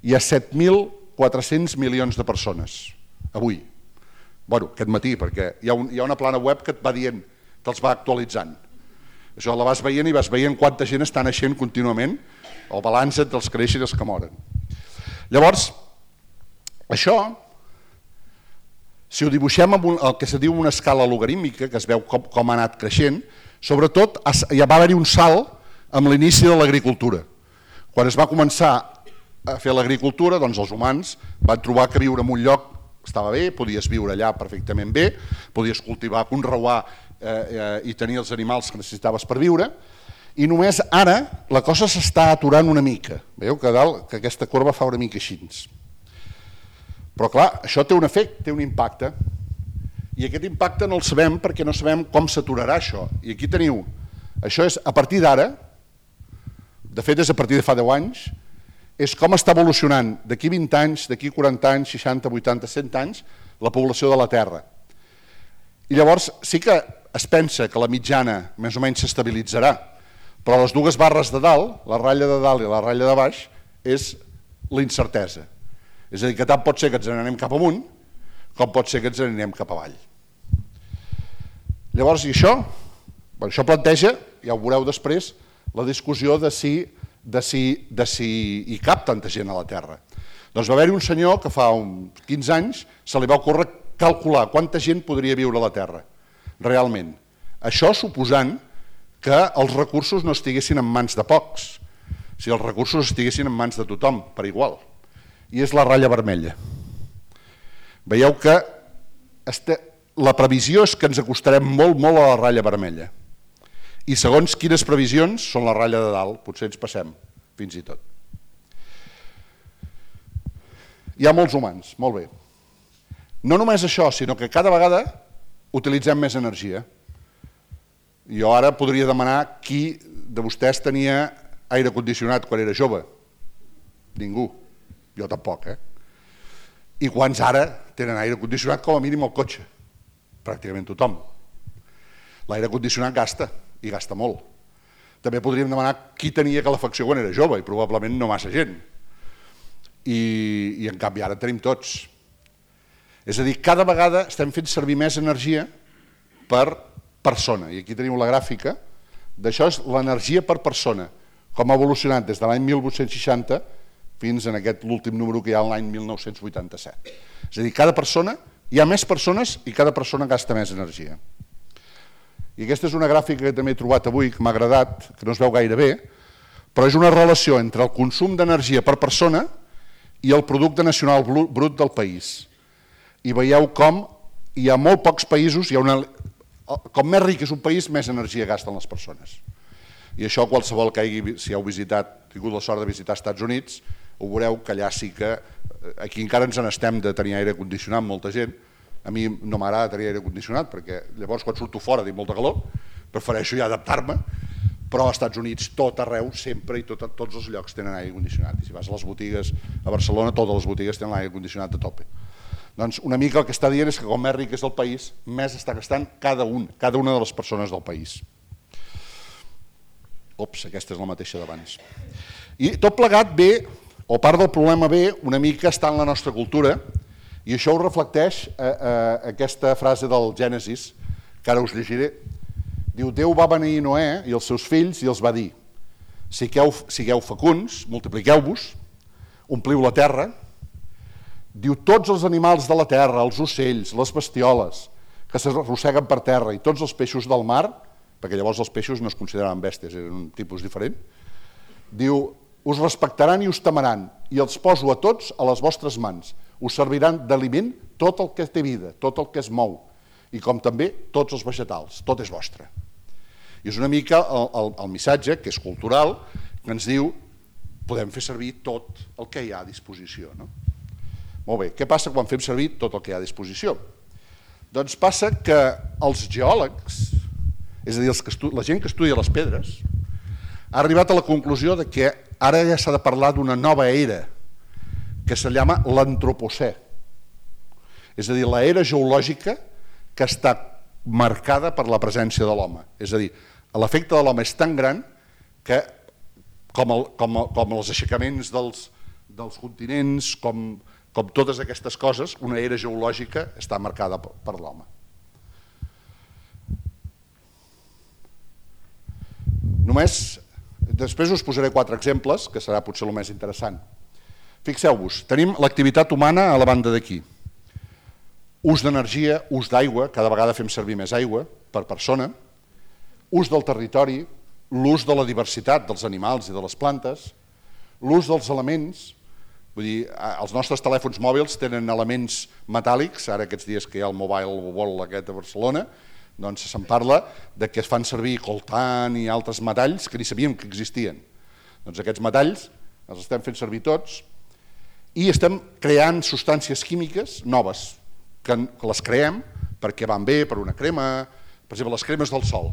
hi ha set mil quatre-cents milions de persones, avui. Bueno, aquest matí, perquè hi ha, un, hi ha una plana web que et va dient, te'ls va actualitzant. Això la vas veient i vas veient quanta gent està naixent contínuament, el balanç entre els que creixen i els que moren. Llavors, això, si ho dibuixem amb un, el que se diu una escala logarítmica, que es veu com, com ha anat creixent, sobretot ja va haver-hi un salt amb l'inici de l'agricultura. Quan es va començar a fer l'agricultura, doncs els humans van trobar que viure en un lloc estava bé, podies viure allà perfectament bé, podies cultivar, conreuar eh, eh, i tenir els animals que necessitaves per viure, i només ara la cosa s'està aturant una mica. Veieu que dalt que aquesta corba fa una mica així. Però clar, això té un efecte, té un impacte, i aquest impacte no el sabem perquè no sabem com s'aturarà això. I aquí teniu, això és a partir d'ara, de fet és a partir de fa deu anys, és com està evolucionant d'aquí vint anys, d'aquí quaranta anys, seixanta, vuitanta, cent anys, la població de la Terra. I llavors sí que es pensa que la mitjana més o menys s'estabilitzarà, però les dues barres de dalt, la ratlla de dalt i la ratlla de baix, és la incertesa. És a dir, que tant pot ser que ens n'anem cap amunt, com pot ser que ens n'anem cap avall. Llavors, i això? Bé, això planteja, ja ho veureu després, la discussió de si, de si, de si hi cap tanta gent a la Terra. Doncs va haver-hi un senyor que fa uns quinze anys se li va ocórrer calcular quanta gent podria viure a la Terra, realment. Això suposant que els recursos no estiguessin en mans de pocs, si els recursos estiguessin en mans de tothom, per igual. I és la ratlla vermella. Veieu que este, la previsió és que ens acostarem molt, molt a la ratlla vermella. I segons quines previsions són la ratlla de dalt, potser ens passem, fins i tot. Hi ha molts humans, molt bé. No només això, sinó que cada vegada utilitzem més energia. Jo ara podria demanar qui de vostès tenia aire condicionat quan era jove. Ningú. Jo tampoc, eh? I quants ara tenen aire condicionat com a mínim al cotxe? Pràcticament tothom. L'aire condicionat gasta, i gasta molt. També podríem demanar qui tenia calefacció quan era jove, i probablement no massa gent. I, i en canvi ara tenim tots. És a dir, cada vegada estem fent servir més energia per persona. I aquí teniu la gràfica d'això, és l'energia per persona, com ha evolucionat des de l'any mil vuit-cents seixanta fins en aquest l'últim número que hi ha l'any mil nou-cents vuitanta-set. És a dir, cada persona, hi ha més persones i cada persona gasta més energia. I aquesta és una gràfica que també he trobat avui, que m'ha agradat, que no es veu gaire bé, però és una relació entre el consum d'energia per persona i el producte nacional brut del país. I veieu com hi ha molt pocs països, hi ha una, com més ric és un país, més energia gasten les persones. I això qualsevol que hagi, si heu visitat, tingut la sort de visitar als Estats Units, ho veureu que allà sí que, aquí encara ens n'estem de tenir aire condicionat, molta gent. A mi no m'agrada tenir aire condicionat, perquè llavors quan surto fora tinc molta calor, prefereixo ja adaptar-me, però als Estats Units tot arreu, sempre i tot, tots els llocs tenen aire condicionat. I si vas a les botigues, a Barcelona, totes les botigues tenen l'aire condicionat a tope. Doncs una mica el que està dient és que com més ric és el país, més està gastant cada un, cada una de les persones del país. Ops, aquesta és la mateixa d'abans. I tot plegat ve, o part del problema ve, una mica està en la nostra cultura, i això ho reflecteix eh, eh, aquesta frase del Gènesis, que ara us llegiré. Diu, Déu va beneir Noè i els seus fills i els va dir, sigueu, sigueu fecunds, multipliqueu-vos, ompliu la terra. Diu, tots els animals de la terra, els ocells, les bestioles, que s'arrosseguen per terra i tots els peixos del mar, perquè llavors els peixos no es consideraven bèsties, eren un tipus diferent, diu, us respectaran i us temaran, i els poso a tots a les vostres mans. Us serviran d'aliment tot el que té vida, tot el que es mou, i com també tots els vegetals, tot és vostre. I és una mica el, el, el missatge, que és cultural, que ens diu, podem fer servir tot el que hi ha a disposició. No? Molt bé, què passa quan fem servir tot el que hi ha a disposició? Doncs passa que els geòlegs, és a dir, els que estu... la gent que estudia les pedres, ha arribat a la conclusió de que ara ja s'ha de parlar d'una nova era, que se llama l'antropocè. És a dir, l'era geològica que està marcada per la presència de l'home. És a dir, l'efecte de l'home és tan gran que, com, el, com, el, com els aixecaments dels, dels continents, com, com totes aquestes coses, una era geològica està marcada per l'home. Només, després us posaré quatre exemples, que serà potser el més interessant. Fixeu-vos, tenim l'activitat humana a la banda d'aquí. Ús d'energia, ús d'aigua, cada vegada fem servir més aigua per persona, ús del territori, l'ús de la diversitat dels animals i de les plantes, l'ús dels elements, vull dir, els nostres telèfons mòbils tenen elements metàl·lics, ara aquests dies que hi ha el Mobile World aquest a Barcelona, doncs se'n parla de que es fan servir coltan i altres metalls que ni sabíem que existien. Doncs aquests metalls els estem fent servir tots i estem creant substàncies químiques noves, que les creem perquè van bé per una crema, per exemple, les cremes del sol.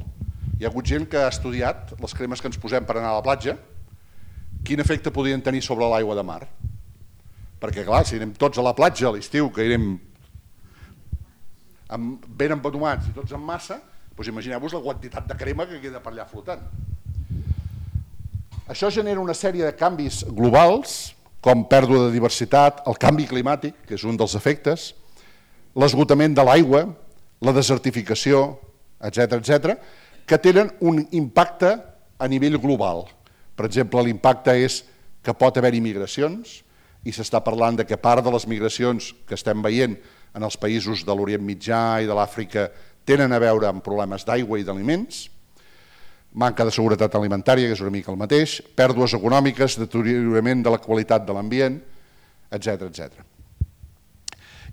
Hi ha hagut gent que ha estudiat les cremes que ens posem per anar a la platja, quin efecte podien tenir sobre l'aigua de mar. Perquè, clar, si anem tots a la platja a l'estiu, que anem ben empetomats i tots en massa, doncs imagineu-vos la quantitat de crema que queda per allà flotant. Això genera una sèrie de canvis globals, com pèrdua de diversitat, el canvi climàtic, que és un dels efectes, l'esgotament de l'aigua, la desertificació, etcètera, etcètera, que tenen un impacte a nivell global. Per exemple, l'impacte és que pot haver-hi migracions, i s'està parlant de que part de les migracions que estem veient en els països de l'Orient Mitjà i de l'Àfrica tenen a veure amb problemes d'aigua i d'aliments, manca de seguretat alimentària, que és una mica el mateix, pèrdues econòmiques, deteriorament de la qualitat de l'ambient, etcètera, etcètera.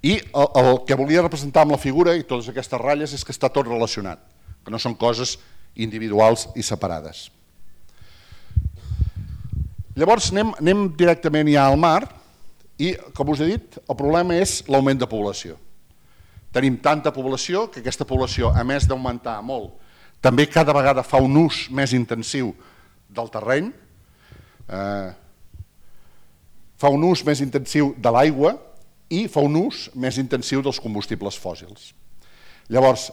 I el, el que volia representar amb la figura i totes aquestes ratlles és que està tot relacionat, que no són coses individuals i separades. Llavors anem, anem directament ja al mar i, com us he dit, el problema és l'augment de població. Tenim tanta població que aquesta població, a més d'augmentar molt, també cada vegada fa un ús més intensiu del terreny, eh, fa un ús més intensiu de l'aigua i fa un ús més intensiu dels combustibles fòssils. Llavors,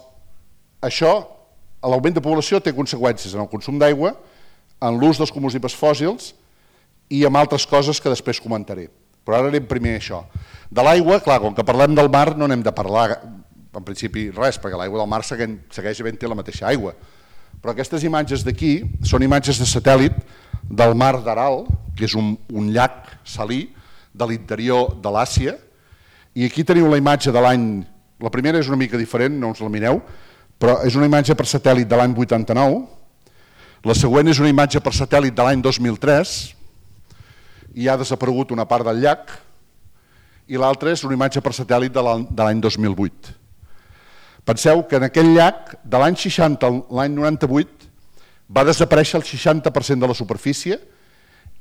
això, l'augment de població té conseqüències en el consum d'aigua, en l'ús dels combustibles fòssils i amb altres coses que després comentaré. Però ara anem primer a això. De l'aigua, clar, com que parlem del mar no n'hem de parlar en principi res, perquè l'aigua del mar segueix havent-hi la mateixa aigua. Però aquestes imatges d'aquí són imatges de satèl·lit del mar d'Aral, que és un, un llac salí de l'interior de l'Àsia, i aquí teniu la imatge de l'any, la primera és una mica diferent, no us la mireu, però és una imatge per satèl·lit de l'any vuitanta-nou, la següent és una imatge per satèl·lit de l'any dos mil tres, i ha desaparegut una part del llac, i l'altra és una imatge per satèl·lit de l'any dos mil vuit. Penseu que en aquell llac, de l'any seixanta a l'any noranta-vuit, va desaparèixer el seixanta per cent de la superfície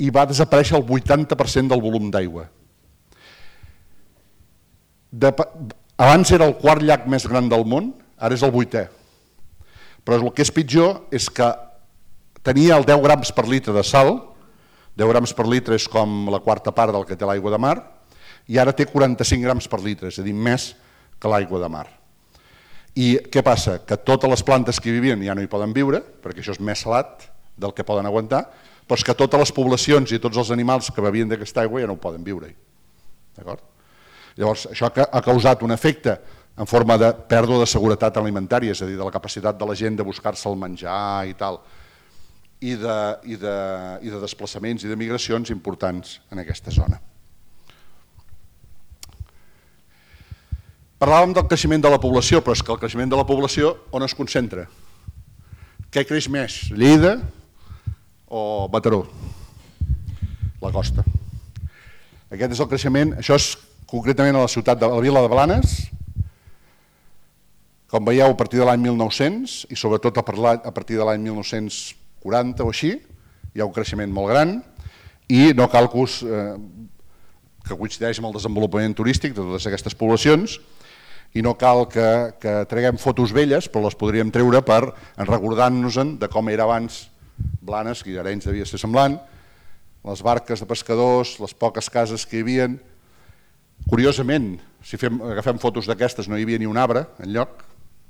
i va desaparèixer el vuitanta per cent del volum d'aigua. Abans era el quart llac més gran del món, ara és el vuitè. Però el que és pitjor és que tenia el deu grams per litre de sal, deu grams per litre és com la quarta part del que té l'aigua de mar, i ara té quaranta-cinc grams per litre, és a dir, més que l'aigua de mar. I què passa? Que totes les plantes que hi vivien ja no hi poden viure, perquè això és més salat del que poden aguantar, però és que totes les poblacions i tots els animals que bevien d'aquesta aigua ja no poden viure-hi. D'acord? Llavors, això ha causat un efecte en forma de pèrdua de seguretat alimentària, és a dir, de la capacitat de la gent de buscar-se el menjar i tal, i de, i de, i de desplaçaments i de migracions importants en aquesta zona. Parlàvem del creixement de la població, però és que el creixement de la població on es concentra? Què creix més, Lleida o Mataró? La costa. Aquest és el creixement, això és concretament a la ciutat de la vila de Blanes, com veieu a partir de l'any mil nou-cents i sobretot a partir de l'any mil nou-cents quaranta o així, hi ha un creixement molt gran i no cal que, us, eh, que coincideix amb el desenvolupament turístic de totes aquestes poblacions i no cal que, que treguem fotos velles, però les podríem treure per recordant-nos-en de com era abans Blanes, que Arenys devia ser semblant, les barques de pescadors, les poques cases que hi havia. Curiosament, si fem, agafem fotos d'aquestes no hi havia ni un arbre enlloc,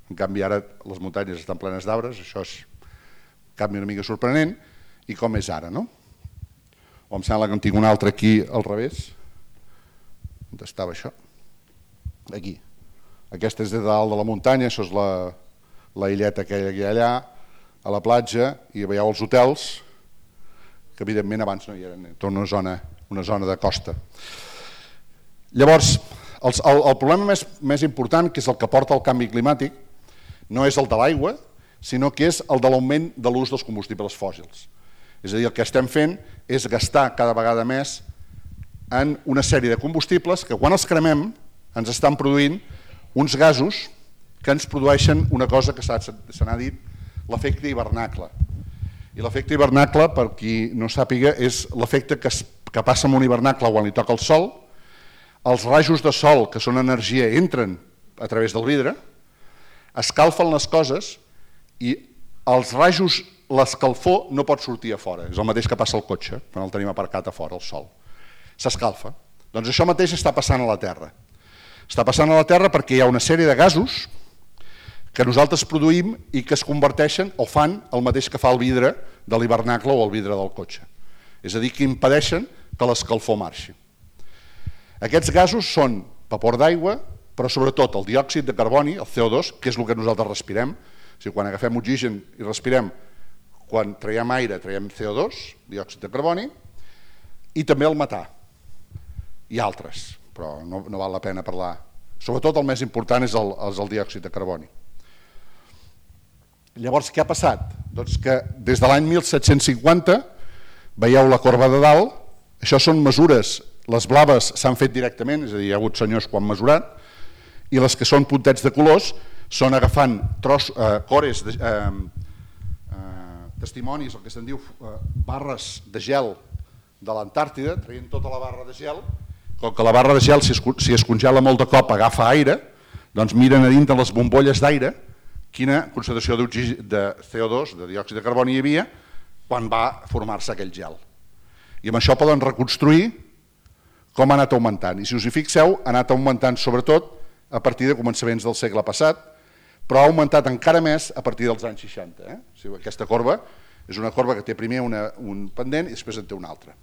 en canvi ara les muntanyes estan plenes d'arbres, això és un canvi una mica sorprenent, i com és ara, no? o em sembla que en tinc un altre aquí al revés. On estava això? Aquí. Aquesta és de dalt de la muntanya, això és la, la illeta que hi ha allà, a la platja, i veieu els hotels, que evidentment abans no hi eren, tota una zona, una zona de costa. Llavors, el, el, el problema més, més important, que és el que porta al canvi climàtic, no és el de l'aigua, sinó que és el de l'augment de l'ús dels combustibles fòssils. És a dir, el que estem fent és gastar cada vegada més en una sèrie de combustibles que quan els cremem ens estan produint uns gasos que ens produeixen una cosa que se n'ha dit l'efecte hivernacle. I l'efecte hivernacle, per qui no sàpiga, és l'efecte que, que passa amb un hivernacle quan li toca el sol. Els rajos de sol, que són energia, entren a través del vidre, escalfen les coses i els rajos, l'escalfor no pot sortir a fora. És el mateix que passa al cotxe, quan el tenim aparcat a fora, el sol. S'escalfa. Doncs això mateix està passant a la Terra. Està passant a la Terra perquè hi ha una sèrie de gasos que nosaltres produïm i que es converteixen o fan el mateix que fa el vidre de l'hivernacle o el vidre del cotxe. És a dir, que impedeixen que l'escalfor marxi. Aquests gasos són vapor d'aigua, però sobretot el diòxid de carboni, el C O dos, que és el que nosaltres respirem. O sigui, quan agafem oxigen i respirem, quan traiem aire traiem C O dos, diòxid de carboni, i també el metà. I altres, però no, no val la pena parlar. Sobretot el més important és el, és el diòxid de carboni. Llavors, què ha passat? Doncs que des de l'any mil set-cents cinquanta, veieu la corba de dalt, això són mesures, les blaves s'han fet directament, és a dir, hi ha hagut senyors que ho han mesurat, i les que són puntets de colors són agafant tros, eh, cores, de, eh, eh, testimonis, el que se'n diu eh, barres de gel de l'Antàrtida, traient tota la barra de gel, com que la barra de gel, si es, si es congela molt de cop, agafa aire, doncs miren a dintre les bombolles d'aire quina concentració de C O dos, de diòxid de carboni hi havia, quan va formar-se aquell gel. I amb això poden reconstruir com ha anat augmentant. I si us hi fixeu, ha anat augmentant sobretot a partir de començaments del segle passat, però ha augmentat encara més a partir dels anys seixanta. Eh? O sigui, aquesta corba és una corba que té primer una, un pendent i després en té un altre.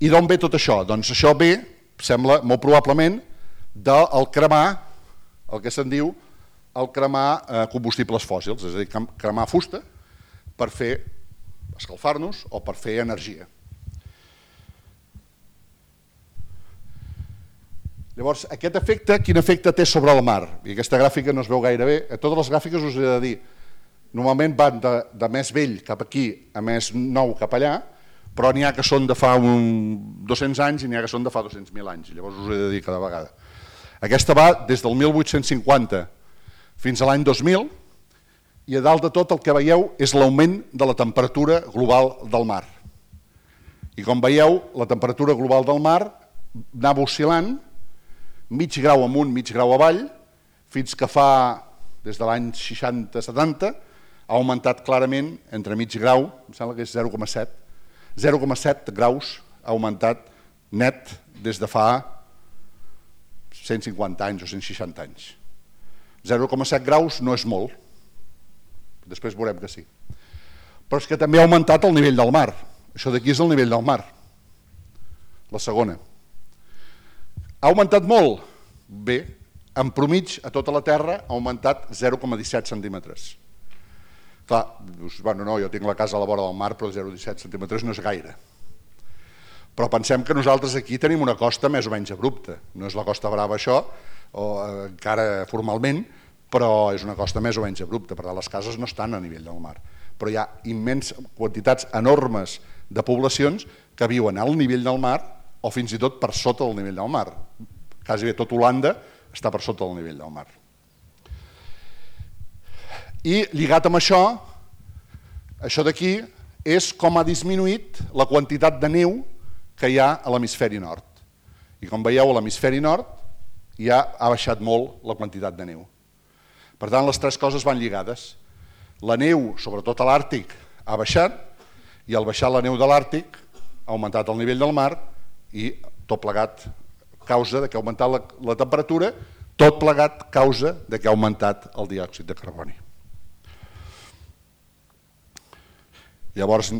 I d'on ve tot això? Doncs això ve, sembla molt probablement, del cremar, el que se'n diu el cremar eh, combustibles fòssils, és a dir, cremar fusta per fer escalfar-nos o per fer energia. Llavors, aquest efecte, quin efecte té sobre el mar? I aquesta gràfica no es veu gaire bé. A totes les gràfiques us he de dir, normalment van de, de més vell cap aquí a més nou cap allà, però n'hi ha que són de fa un dos-cents anys i n'hi ha que són de fa dos-cents mil anys. Llavors us he de dir cada vegada. Aquesta va des del mil vuit-cents cinquanta fins a l'any dos mil i a dalt de tot el que veieu és l'augment de la temperatura global del mar. I com veieu, la temperatura global del mar anava oscil·lant mig grau amunt, mig grau avall, fins que fa, des de l'any seixanta setanta, ha augmentat clarament entre mig grau, em sembla que és zero coma set, zero coma set graus ha augmentat net des de fa cent cinquanta anys o cent seixanta anys. zero coma set graus no és molt, després veurem que sí. Però és que també ha augmentat el nivell del mar. Això d'aquí és el nivell del mar, la segona. Ha augmentat molt? Bé, en promig a tota la Terra ha augmentat zero coma disset centímetres. Clar, dius, bueno, no, jo tinc la casa a la vora del mar, però zero coma disset centímetres no és gaire. Però pensem que nosaltres aquí tenim una costa més o menys abrupta. No és la Costa Brava això, o eh, encara formalment, però és una costa més o menys abrupta. Per tant, les cases no estan a nivell del mar. Però hi ha immenses quantitats enormes de poblacions que viuen al nivell del mar o fins i tot per sota del nivell del mar. Quasi bé tot Holanda està per sota del nivell del mar. I lligat amb això, això d'aquí és com ha disminuït la quantitat de neu que hi ha a l'hemisferi nord. I com veieu, a l'hemisferi nord ja ha baixat molt la quantitat de neu. Per tant, les tres coses van lligades. La neu, sobretot a l'Àrtic, ha baixat i al baixar la neu de l'Àrtic ha augmentat el nivell del mar i tot plegat causa de que ha augmentat la, la temperatura, tot plegat causa de que ha augmentat el diòxid de carboni. Llavors,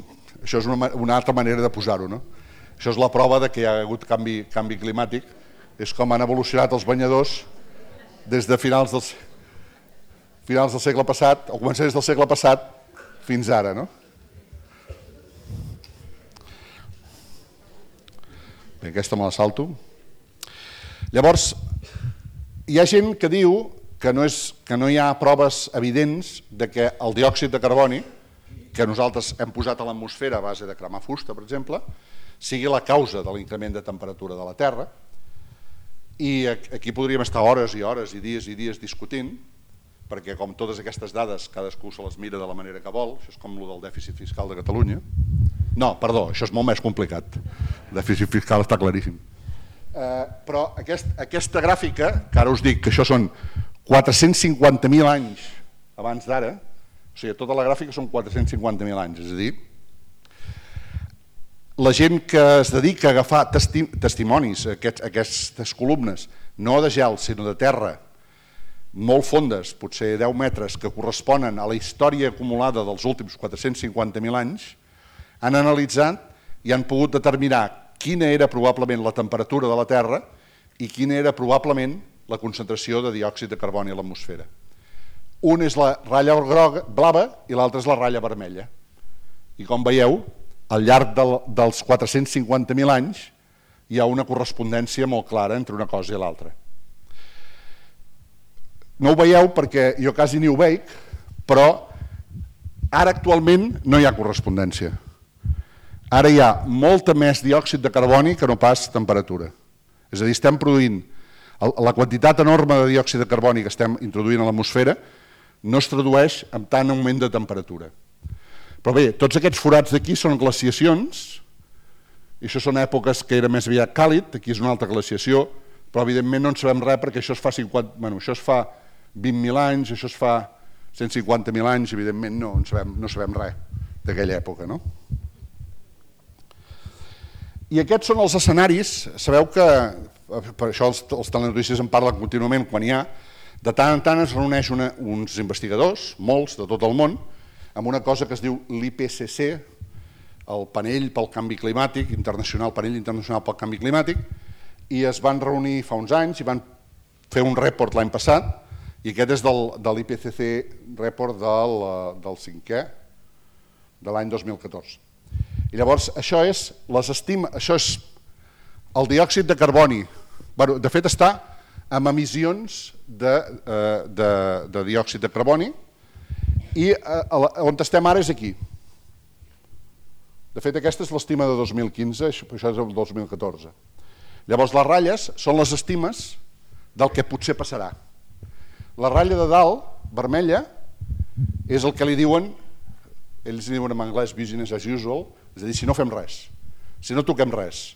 Això és una, una altra manera de posar-ho, no? Això és la prova de que hi ha hagut canvi, canvi climàtic. És com han evolucionat els banyadors des de finals del, finals del segle passat, o començaments del segle passat, fins ara, no? Bé, aquesta me la salto. Llavors, hi ha gent que diu que no, és, que no hi ha proves evidents de que el diòxid de carboni, que nosaltres hem posat a l'atmosfera a base de cremar fusta, per exemple, sigui la causa de l'increment de temperatura de la Terra. I aquí podríem estar hores i hores i dies i dies discutint, perquè com totes aquestes dades cadascú se les mira de la manera que vol. Això és com el del dèficit fiscal de Catalunya. No, perdó, això és molt més complicat. El dèficit fiscal està claríssim. Eh, però aquest, aquesta gràfica, que ara us dic que això són quatre-cents cinquanta mil anys abans d'ara, o sigui, tota la gràfica són quatre-cents cinquanta mil anys, és a dir, la gent que es dedica a agafar testi testimonis, aquests, aquestes columnes, no de gel, sinó de terra, molt fondes, potser deu metres, que corresponen a la història acumulada dels últims quatre-cents cinquanta mil anys, han analitzat i han pogut determinar quina era probablement la temperatura de la Terra i quina era probablement la concentració de diòxid de carboni a l'atmosfera. Un és la ratlla groga, blava i l'altre és la ratlla vermella. I com veieu, al llarg del, dels quatre-cents cinquanta mil anys hi ha una correspondència molt clara entre una cosa i l'altra. No ho veieu perquè jo quasi ni ho veig, però ara actualment no hi ha correspondència. Ara hi ha molta més diòxid de carboni que no pas temperatura. És a dir, estem produint la quantitat enorme de diòxid de carboni que estem introduint a l'atmosfera no es tradueix en tant augment de temperatura. Però bé, tots aquests forats d'aquí són glaciacions, i això són èpoques que era més aviat càlid, aquí és una altra glaciació, però evidentment no en sabem res perquè això es fa, cinquanta, bueno, això es fa vint mil anys, això es fa cent cinquanta mil anys, evidentment no, en sabem, no sabem res d'aquella època, no? I aquests són els escenaris, sabeu que, per això els, els telenotícies en parlen contínuament quan hi ha, de tant en tant es reuneix una, uns investigadors, molts de tot el món, amb una cosa que es diu l'I P C C, el panell pel canvi climàtic, internacional, panell internacional pel canvi climàtic, i es van reunir fa uns anys i van fer un report l'any passat, i aquest és del, de l'I P C C report del, del cinquè, de l'any dos mil catorze. I llavors això és, les estima, això és el diòxid de carboni, bueno, de fet està amb emissions de, de, de diòxid de carboni, i on estem ara és aquí. De fet, aquesta és l'estima de dos mil quinze, això és el dos mil catorze. Llavors, les ratlles són les estimes del que potser passarà. La ratlla de dalt, vermella, és el que li diuen, ells diuen en anglès business as usual, és a dir, si no fem res, si no toquem res.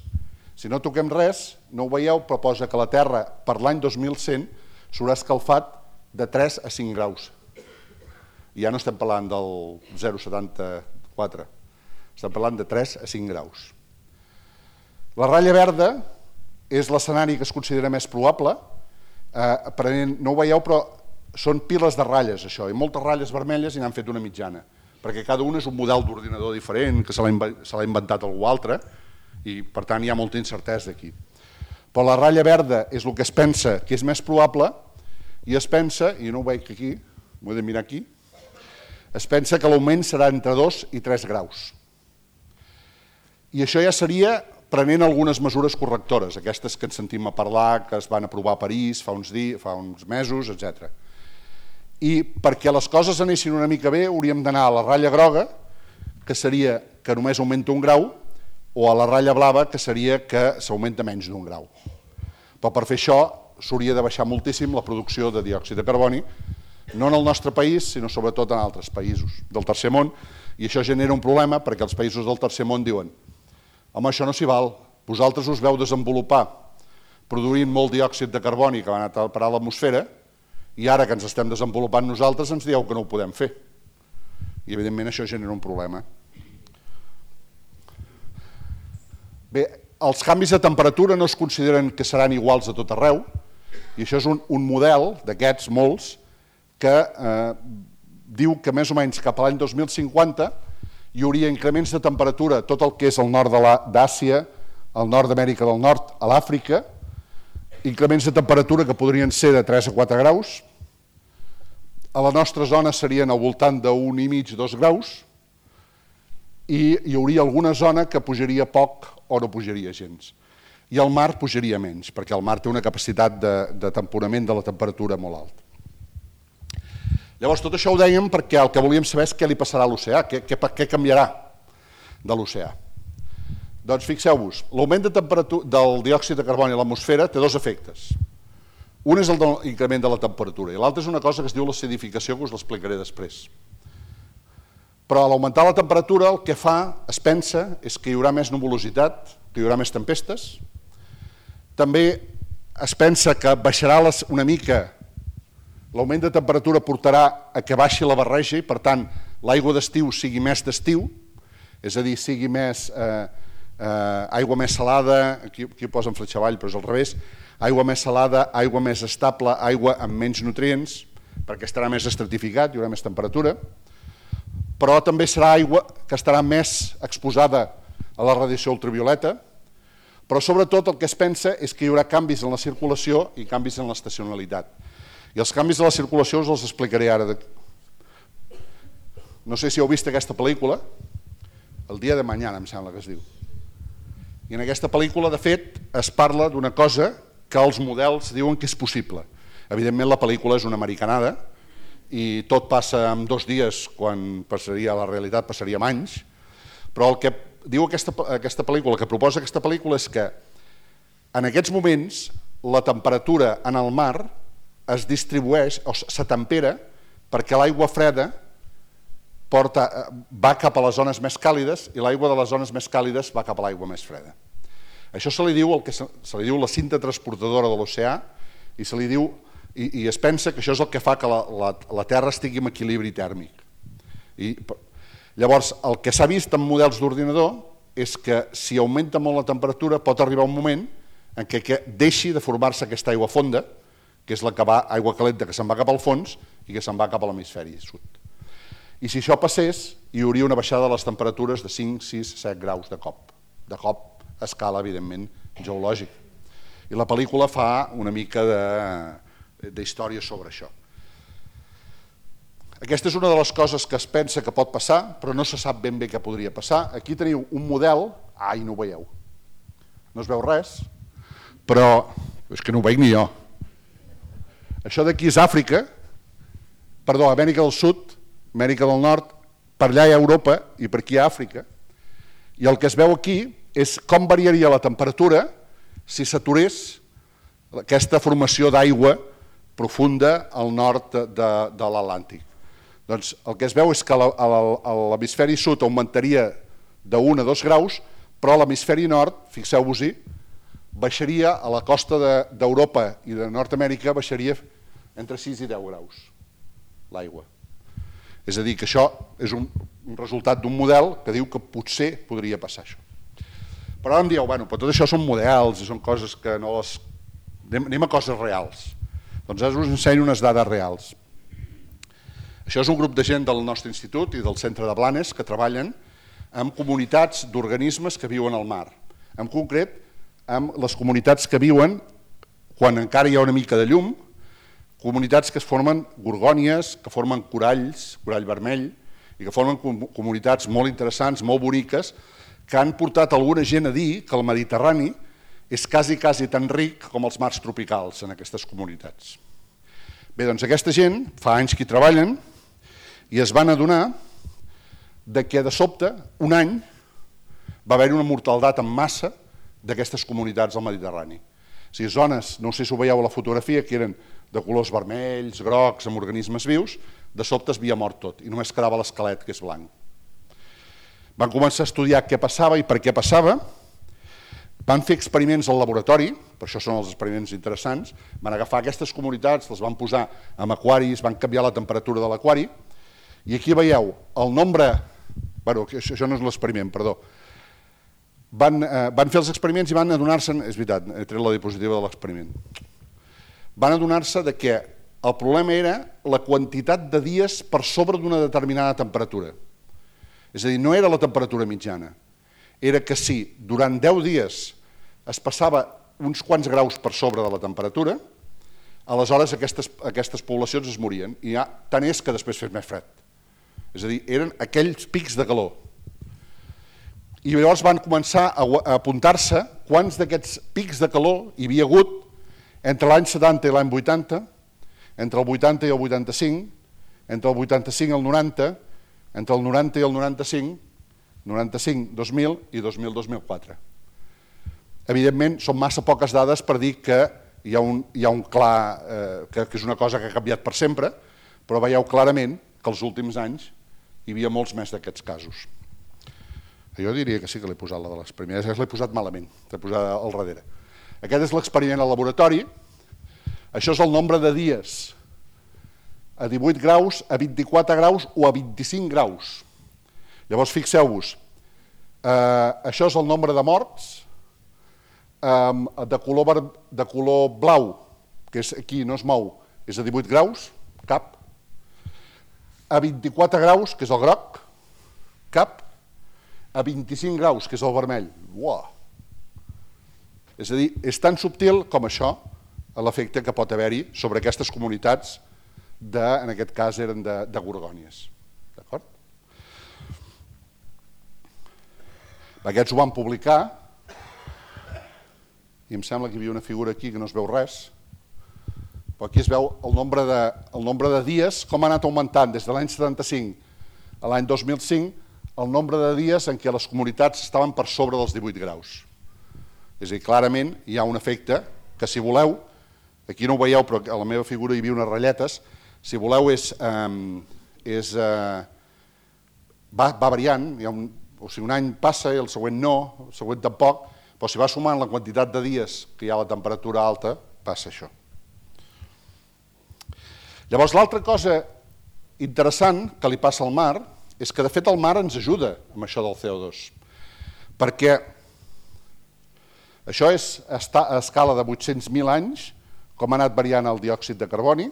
Si no toquem res, no ho veieu, però posa que la Terra per l'any dos mil cent s'haurà escalfat de tres a cinc graus. I ja no estem parlant del zero coma setanta-quatre, estem parlant de tres a cinc graus. La ratlla verda és l'escenari que es considera més probable, eh, no ho veieu, però són piles de ratlles, això, i moltes ratlles vermelles i n'han fet una mitjana, perquè cada una és un model d'ordinador diferent, que se l'ha inventat algú altre, i per tant hi ha molta incertesa aquí. Però la ratlla verda és el que es pensa que és més probable, i es pensa, i no ho veig aquí, m'ho he de mirar aquí, es pensa que l'augment serà entre dos i tres graus. I això ja seria prenent algunes mesures correctores, aquestes que ens sentim a parlar, que es van aprovar a París fa uns, dies, fa uns mesos, etcètera. I perquè les coses anessin una mica bé, hauríem d'anar a la ratlla groga, que seria que només augmenta un grau, o a la ratlla blava, que seria que s'augmenta menys d'un grau. Però per fer això s'hauria de baixar moltíssim la producció de diòxid de carboni, no en el nostre país, sinó sobretot en altres països del tercer món, i això genera un problema perquè els països del tercer món diuen home, això no s'hi val, vosaltres us veu desenvolupar produint molt diòxid de carboni que va anar a parar a l'atmosfera i ara que ens estem desenvolupant nosaltres ens dieu que no ho podem fer. I evidentment això genera un problema. Bé, els canvis de temperatura no es consideren que seran iguals a tot arreu, i això és un, un model d'aquests molts que eh, diu que més o menys cap a l'any dos mil cinquanta hi hauria increments de temperatura tot el que és el nord d'Àsia, el nord d'Amèrica del Nord, a l'Àfrica, increments de temperatura que podrien ser de tres a quatre graus, a la nostra zona serien al voltant d'un i mig, dos graus, i hi hauria alguna zona que pujaria poc o no pujaria gens. I el mar pujaria menys, perquè el mar té una capacitat de, de temporament de la temperatura molt alta. Llavors, tot això ho dèiem perquè el que volíem saber és què li passarà a l'oceà, què, què, què canviarà de l'oceà. Doncs fixeu-vos, l'augment de temperatura del diòxid de carboni a l'atmosfera té dos efectes. Un és l'increment de la temperatura i l'altre és una cosa que es diu l'acidificació, que us l'explicaré després. Però a l'augmentar la temperatura el que fa, es pensa, és que hi haurà més nuvolositat, que hi haurà més tempestes. També es pensa que baixarà una mica, l'augment de temperatura portarà a que baixi la barreja i per tant l'aigua d'estiu sigui més d'estiu, és a dir, sigui més eh, eh, aigua més salada, aquí, aquí posen fletxa avall però és al revés, aigua més salada, aigua més estable, aigua amb menys nutrients, perquè estarà més estratificat, hi haurà més temperatura, però també serà aigua que estarà més exposada a la radiació ultravioleta, però sobretot el que es pensa és que hi haurà canvis en la circulació i canvis en l'estacionalitat. I els canvis de la circulació us els explicaré ara. No sé si heu vist aquesta pel·lícula, El dia de mañana em sembla que es diu. I en aquesta pel·lícula, de fet, es parla d'una cosa que els models diuen que és possible. Evidentment la pel·lícula és una americanada i tot passa en dos dies quan passaria a la realitat, passaria en anys, però el que diu aquesta, aquesta pel·lícula, el que proposa aquesta pel·lícula és que en aquests moments la temperatura en el mar es distribueix o s'atempera perquè l'aigua freda porta, va cap a les zones més càlides i l'aigua de les zones més càlides va cap a l'aigua més freda. Això se li diu el que se, se li diu la cinta transportadora de l'oceà i se li diu i, i es pensa que això és el que fa que la, la, la Terra estigui en equilibri tèrmic. I, llavors, el que s'ha vist en models d'ordinador és que si augmenta molt la temperatura pot arribar un moment en què, que deixi de formar-se aquesta aigua fonda, que és la que va, aigua calenta que se'n va cap al fons i que se'n va cap a l'hemisferi sud. I si això passés, hi hauria una baixada de les temperatures de cinc, sis, set graus de cop. De cop a escala, evidentment, geològica. I la pel·lícula fa una mica d'història sobre això. Aquesta és una de les coses que es pensa que pot passar, però no se sap ben bé què podria passar. Aquí teniu un model... Ai, no ho veieu. No es veu res, però és que no ho veig ni jo. Això d'aquí és Àfrica, perdó, Amèrica del Sud, Amèrica del Nord, per allà hi ha Europa i per aquí hi ha Àfrica. I el que es veu aquí és com variaria la temperatura si s'aturés aquesta formació d'aigua profunda al nord de, de, de l'Atlàntic. Doncs el que es veu és que l'hemisferi sud augmentaria d'un a dos graus, però l'hemisferi nord, fixeu-vos-hi, baixaria a la costa d'Europa i de Nord-Amèrica, baixaria entre sis i deu graus l'aigua. És a dir, que això és un, un resultat d'un model que diu que potser podria passar això. Però ara em dieu, bueno, però tot això són models i són coses que no les... Anem a coses reals. Doncs ara us ensenyo unes dades reals. Això és un grup de gent del nostre institut i del centre de Blanes que treballen amb comunitats d'organismes que viuen al mar. En concret, amb les comunitats que viuen quan encara hi ha una mica de llum, comunitats que es formen gorgònies, que formen coralls, corall vermell, i que formen comunitats molt interessants, molt boniques, que han portat alguna gent a dir que el Mediterrani és quasi, quasi tan ric com els mars tropicals en aquestes comunitats. Bé, doncs aquesta gent, fa anys que hi treballen, i es van adonar que de sobte, un any, va haver-hi una mortaldat en massa d'aquestes comunitats al Mediterrani. O sigui, zones, no sé si ho veieu a la fotografia, que eren de colors vermells, grocs, amb organismes vius, de sobte es havia mort tot i només quedava l'esquelet, que és blanc. Van començar a estudiar què passava i per què passava, van fer experiments al laboratori, per això són els experiments interessants, van agafar aquestes comunitats, les van posar en aquaris, van canviar la temperatura de l'aquari, i aquí veieu el nombre, bueno, això no és l'experiment, perdó, van, eh, van fer els experiments i van adonar-se, és veritat, he tret la diapositiva de l'experiment, van adonar-se que el problema era la quantitat de dies per sobre d'una determinada temperatura. És a dir, no era la temperatura mitjana, era que si durant deu dies es passava uns quants graus per sobre de la temperatura, aleshores aquestes, aquestes poblacions es morien, i ja, tant és que després fes més fred. És a dir, eren aquells pics de calor. I llavors van començar a apuntar-se quants d'aquests pics de calor hi havia hagut entre l'any setanta i l'any vuitanta, entre el vuitanta i el vuitanta-cinc, entre el vuitanta-cinc i el noranta, entre el noranta i el noranta-cinc, noranta-cinc, dos mil i dos mil, dos mil quatre. Evidentment, són massa poques dades per dir que hi ha un, hi ha un clar, eh, que, que és una cosa que ha canviat per sempre, però veieu clarament que els últims anys hi havia molts més d'aquests casos. Jo diria que sí que l'he posat, la de les primeres, l'he posat malament, l'he posat al darrere. Aquest és l'experiment al laboratori, això és el nombre de dies a divuit graus, a vint-i-quatre graus o a vint-i-cinc graus. Llavors, fixeu-vos, eh, això és el nombre de morts eh, de, color, de color blau, que és aquí, no es mou, és a divuit graus, cap. A vint-i-quatre graus, que és el groc, cap. A vint-i-cinc graus, que és el vermell. Uau! És a dir, és tan subtil com això l'efecte que pot haver-hi sobre aquestes comunitats, de, en aquest cas eren de, de gorgònies. D'acord? Aquests ho van publicar, i em sembla que hi havia una figura aquí que no es veu res, però aquí es veu el nombre de, el nombre de dies, com ha anat augmentant des de l'any setanta-cinc a l'any dos mil cinc, el nombre de dies en què les comunitats estaven per sobre dels divuit graus. És a dir, clarament hi ha un efecte que, si voleu, aquí no ho veieu, però a la meva figura hi havia unes ratlletes, si voleu és, eh, és eh, va, va variant, hi ha un, o sigui, un any passa i el següent no, el següent tampoc, però si va sumant la quantitat de dies que hi ha la temperatura alta, passa això. Llavors, l'altra cosa interessant que li passa al mar és que, de fet, el mar ens ajuda amb això del C O dos, perquè això és a escala de vuit-cents mil anys, com ha anat variant el diòxid de carboni.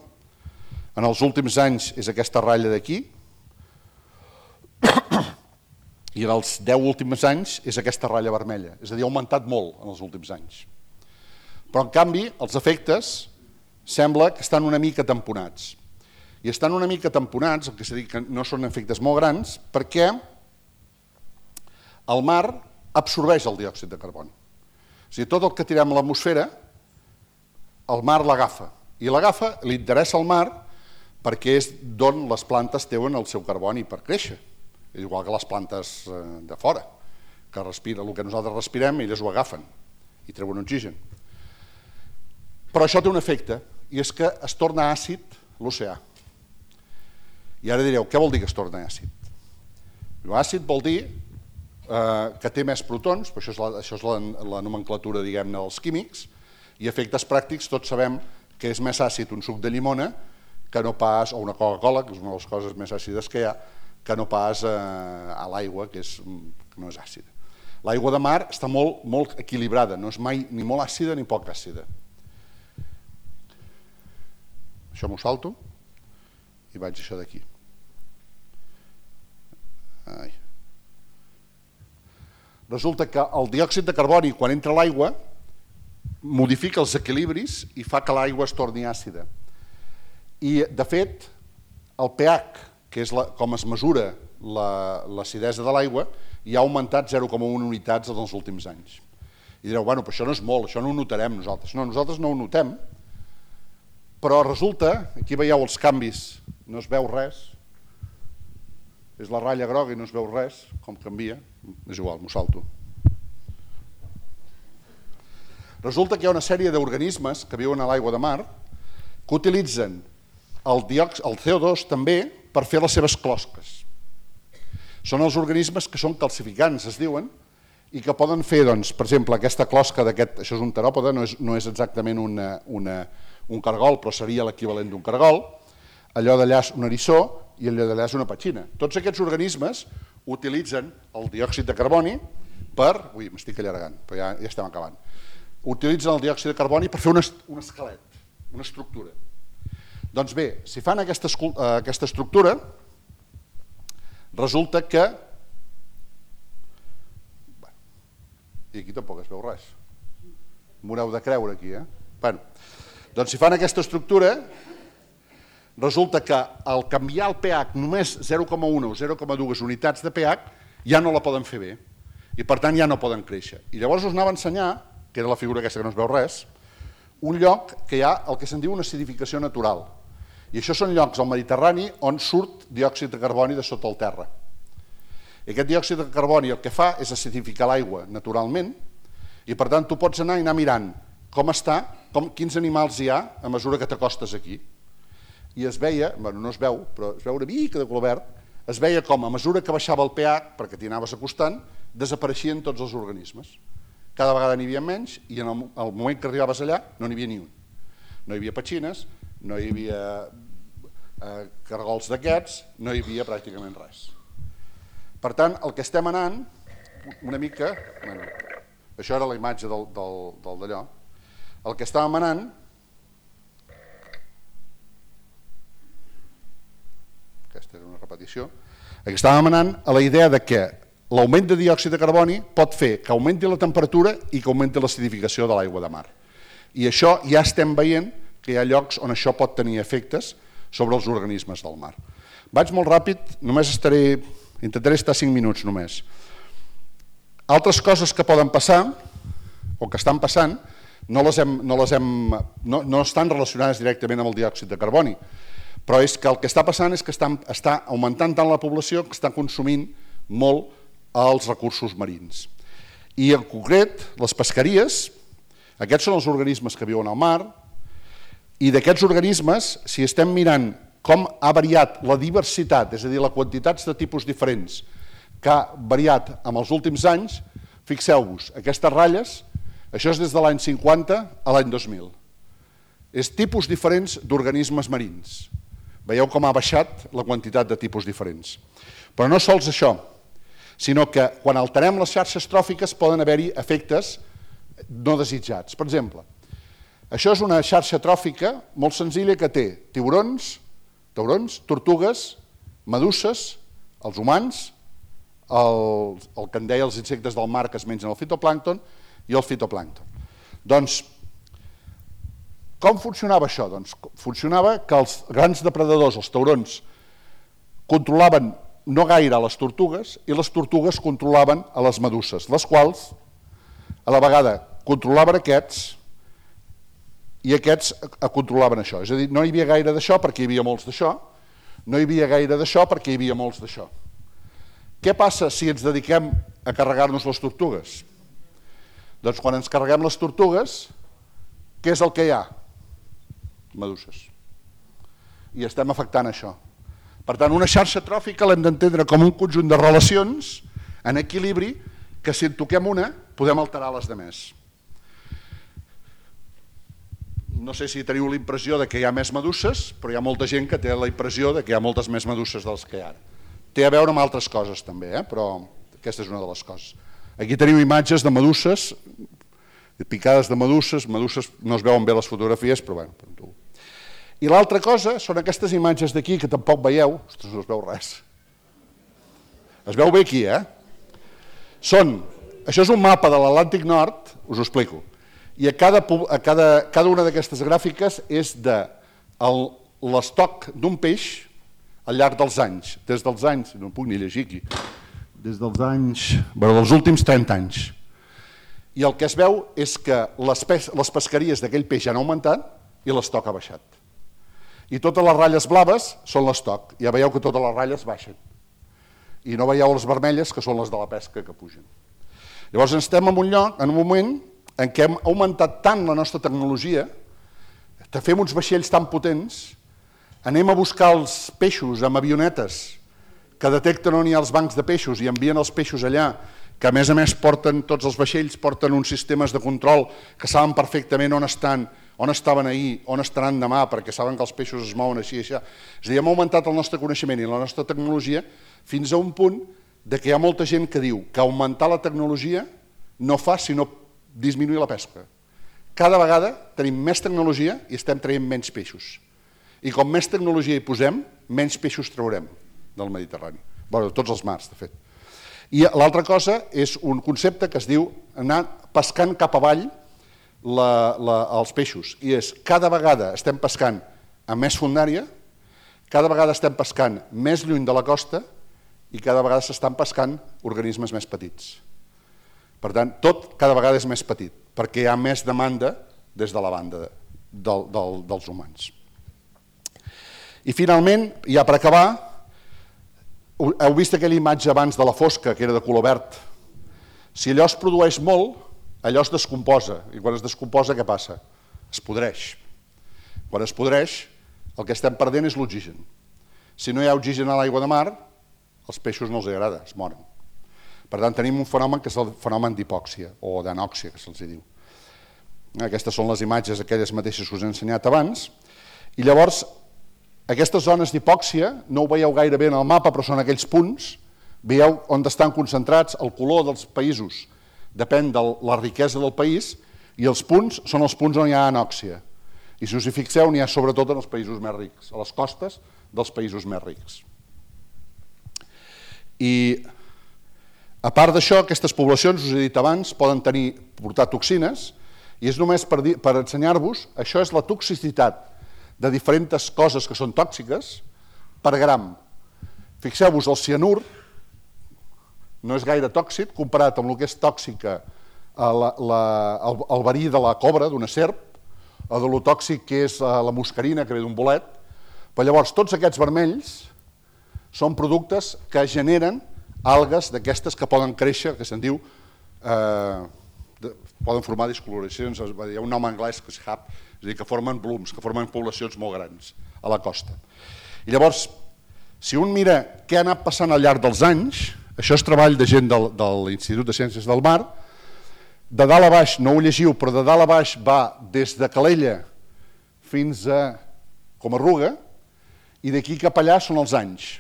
En els últims anys és aquesta ratlla d'aquí, i en els deu últims anys és aquesta ratlla vermella, és a dir, ha augmentat molt en els últims anys. Però, en canvi, els efectes sembla que estan una mica tamponats. I estan una mica tamponats, el que s'ha dit que no són efectes molt grans, perquè el mar absorbeix el diòxid de carboni. O sigui, tot el que tirem a l'atmosfera, el mar l'agafa. I l'agafa, li interessa al mar perquè és d'on les plantes treuen el seu carboni per créixer. És igual que les plantes de fora, que respira, el que nosaltres respirem, elles ho agafen i treuen oxigen. Però això té un efecte, i és que es torna àcid l'oceà. I ara direu, què vol dir que es torna àcid? Àcid vol dir eh, que té més protons, però això és la, això és la, la nomenclatura, diguem-ne, dels químics, i efectes pràctics, tots sabem que és més àcid un suc de llimona que no pas, o una Coca-Cola, que és una de les coses més àcides que hi ha, que no pas eh, a l'aigua, que, és, que no és àcida. L'aigua de mar està molt, molt equilibrada, no és mai ni molt àcida ni poc àcida. Això m'ho salto i vaig això d'aquí. Ai. Resulta que el diòxid de carboni, quan entra a l'aigua, modifica els equilibris i fa que l'aigua es torni àcida. I, de fet, el pH, que és la, com es mesura l'acidesa de l'aigua, ja ha augmentat zero coma u unitats en els últims anys. I direu, bueno, però això no és molt, això no ho notarem nosaltres. No, nosaltres no ho notem, però resulta, aquí veieu els canvis, no es veu res, és la ratlla groga i no es veu res, com canvia, és igual, m'ho salto. Resulta que hi ha una sèrie d'organismes que viuen a l'aigua de mar que utilitzen el, diòxid, el C O dos també per fer les seves closques. Són els organismes que són calcificants, es diuen, i que poden fer, doncs, per exemple, aquesta closca d'aquest, això és un teròpode, no és, no és exactament una, una, un cargol, però seria l'equivalent d'un cargol, allò d'allà és un eriçó i allò d'allà és una petxina. Tots aquests organismes utilitzen el diòxid de carboni per... Ui, m'estic allargant, però ja, ja estem acabant. Utilitzen el diòxid de carboni per fer un, un esquelet, una estructura. Doncs bé, si fan aquesta, aquesta estructura, resulta que I aquí tampoc es veu res. M'ho heu de creure aquí, eh? Bueno, doncs si fan aquesta estructura, resulta que al canviar el pH només zero coma un o zero coma dos unitats de pH ja no la poden fer bé i per tant ja no poden créixer. I llavors us anava a ensenyar, que era la figura aquesta que no es veu res, un lloc que hi ha el que se'n diu una acidificació natural. I això són llocs al Mediterrani on surt diòxid de carboni de sota el terra. I aquest diòxid de carboni el que fa és acidificar l'aigua naturalment i per tant tu pots anar i anar mirant com està, com, quins animals hi ha a mesura que t'acostes aquí. I es veia, bueno, no es veu, però es veu una mica de color verd, es veia com a mesura que baixava el pH, perquè t'hi anaves acostant, desapareixien tots els organismes. Cada vegada n'hi havia menys i en el, el moment que arribaves allà no n'hi havia ni un. No hi havia petxines, no hi havia eh, cargols d'aquests, no hi havia pràcticament res. Per tant, el que estem anant, una mica, bueno, això era la imatge del, del, del d'allò, el que estàvem anant, aquesta era una repetició, el que estàvem anant a la idea de que l'augment de diòxid de carboni pot fer que augmenti la temperatura i que augmenti l'acidificació de l'aigua de mar. I això ja estem veient que hi ha llocs on això pot tenir efectes sobre els organismes del mar. Vaig molt ràpid, només estaré... Intentaré estar cinc minuts només. Altres coses que poden passar, o que estan passant, no, les hem, no, les hem, no, no estan relacionades directament amb el diòxid de carboni, però és que el que està passant és que està, està augmentant tant la població que està consumint molt els recursos marins. I en concret, les pesqueries, aquests són els organismes que viuen al mar, i d'aquests organismes, si estem mirant com ha variat la diversitat, és a dir, la quantitats de tipus diferents que ha variat en els últims anys, fixeu-vos, aquestes ratlles, això és des de l'any cinquanta a l'any dos mil. És tipus diferents d'organismes marins. Veieu com ha baixat la quantitat de tipus diferents. Però no sols això, sinó que quan alterem les xarxes tròfiques poden haver-hi efectes no desitjats. Per exemple, això és una xarxa tròfica molt senzilla que té tiburons, taurons, tortugues, meduses, els humans, el, el que en deia els insectes del mar que es mengen el fitoplàncton i el fitoplàncton. Doncs, com funcionava això? Doncs funcionava que els grans depredadors, els taurons, controlaven no gaire les tortugues i les tortugues controlaven a les meduses, les quals a la vegada controlaven aquests i aquests controlaven això. És a dir, no hi havia gaire d'això perquè hi havia molts d'això, no hi havia gaire d'això perquè hi havia molts d'això. Què passa si ens dediquem a carregar-nos les tortugues? Doncs quan ens carreguem les tortugues, què és el que hi ha? Meduses. I estem afectant això. Per tant, una xarxa tròfica l'hem d'entendre com un conjunt de relacions en equilibri que si en toquem una podem alterar les demés. No sé si teniu la impressió que hi ha més meduses, però hi ha molta gent que té la impressió que hi ha moltes més meduses dels que hi ha. Té a veure amb altres coses també, eh? Però aquesta és una de les coses. Aquí teniu imatges de meduses, picades de meduses, meduses no es veuen bé les fotografies, però bé. I l'altra cosa són aquestes imatges d'aquí que tampoc veieu, ostres, no es veu res. Es veu bé aquí, eh? Són, això és un mapa de l'Atlàntic Nord, us ho explico, i a cada, a cada, cada una d'aquestes gràfiques és de l'estoc d'un peix al llarg dels anys, des dels anys, no puc ni llegir aquí, des dels anys, bueno, dels últims trenta anys. I el que es veu és que les, pes, les pesqueries d'aquell peix han augmentat i l'estoc ha baixat. I totes les ratlles blaves són l'estoc, ja veieu que totes les ratlles baixen. I no veieu les vermelles, que són les de la pesca que pugen. Llavors estem en un lloc, en un moment, en què hem augmentat tant la nostra tecnologia, que fem uns vaixells tan potents, anem a buscar els peixos amb avionetes que detecten on hi ha els bancs de peixos i envien els peixos allà, que a més a més porten, tots els vaixells porten uns sistemes de control que saben perfectament on estan, on estaven ahir, on estaran demà, perquè saben que els peixos es mouen així i així. És a dir, hem augmentat el nostre coneixement i la nostra tecnologia fins a un punt de que hi ha molta gent que diu que augmentar la tecnologia no fa sinó disminuir la pesca. Cada vegada tenim més tecnologia i estem traient menys peixos. I com més tecnologia hi posem, menys peixos traurem del Mediterrani. Bé, de tots els mars, de fet. I l'altra cosa és un concepte que es diu anar pescant cap avall la, la, els peixos, i és cada vegada estem pescant amb més fondària, cada vegada estem pescant més lluny de la costa i cada vegada s'estan pescant organismes més petits. Per tant, tot cada vegada és més petit, perquè hi ha més demanda des de la banda del, del, dels humans. I finalment, ja per acabar, heu vist aquella imatge abans de la fosca, que era de color verd. Si allò es produeix molt, allò es descomposa, i quan es descomposa, què passa? Es podreix. Quan es podreix, el que estem perdent és l'oxigen. Si no hi ha oxigen a l'aigua de mar, als peixos no els agrada, es moren. Per tant, tenim un fenomen que és el fenomen d'hipòxia, o d'anòxia, que se'ls diu. Aquestes són les imatges, aquelles mateixes que us he ensenyat abans. I llavors, aquestes zones d'hipòxia, no ho veieu gaire bé en el mapa, però són aquells punts, veieu on estan concentrats, el color dels països depèn de la riquesa del país, i els punts són els punts on hi ha anòxia. I si us hi fixeu, n'hi ha sobretot en els països més rics, a les costes dels països més rics. I a part d'això, aquestes poblacions, us he dit abans, poden tenir, portar toxines, i és només per, per ensenyar-vos, això és la toxicitat de diferents coses que són tòxiques per gram. Fixeu-vos, el cianur no és gaire tòxic comparat amb el que és tòxica la, la, el, el verí de la cobra, d'una serp, o de lo tòxic que és la muscarina, que ve d'un bolet. Però llavors, tots aquests vermells són productes que generen algues d'aquestes que poden créixer, que se'n diu, eh, de, poden formar discoloracions, hi ha un nom anglès que és hub, és a dir, que formen blooms, que formen poblacions molt grans a la costa. I llavors, si un mira què ha anat passant al llarg dels anys, això és treball de gent del, de l'Institut de Ciències del Mar, de dalt a baix, no ho llegiu, però de dalt a baix va des de Calella fins a Comarruga, i d'aquí cap allà són els anys.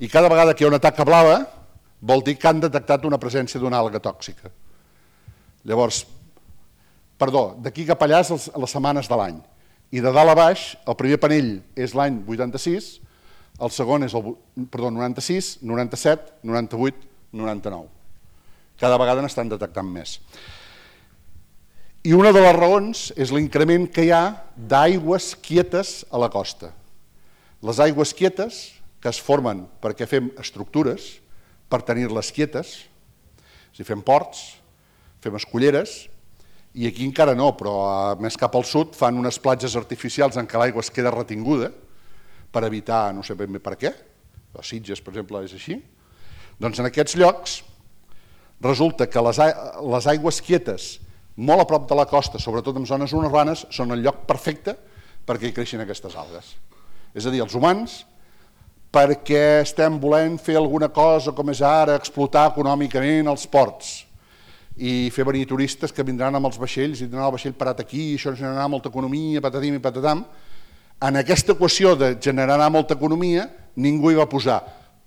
I cada vegada que hi ha una taca blava vol dir que han detectat una presència d'una alga tòxica. Llavors, perdó, d'aquí cap allà és les setmanes de l'any. I de dalt a baix, el primer panell és l'any vuitanta-sis, el segon és el perdó, noranta-sis, noranta-set, noranta-vuit, noranta-nou. Cada vegada n'estan detectant més. I una de les raons és l'increment que hi ha d'aigües quietes a la costa. Les aigües quietes, que es formen perquè fem estructures, per tenir-les quietes, si fem ports, fem esculleres, i aquí encara no, però més cap al sud fan unes platges artificials en què l'aigua es queda retinguda per evitar, no sé ben bé per què, a Sitges, per exemple, és així. Doncs en aquests llocs resulta que les, les aigües quietes, molt a prop de la costa, sobretot en zones urbanes, són el lloc perfecte perquè hi creixin aquestes algues. És a dir, els humans, perquè estem volent fer alguna cosa com és ara, explotar econòmicament els ports i fer venir turistes que vindran amb els vaixells i tindran el vaixell parat aquí, i això generarà molta economia, patatim i patatam. En aquesta equació de generar molta economia, ningú hi va posar,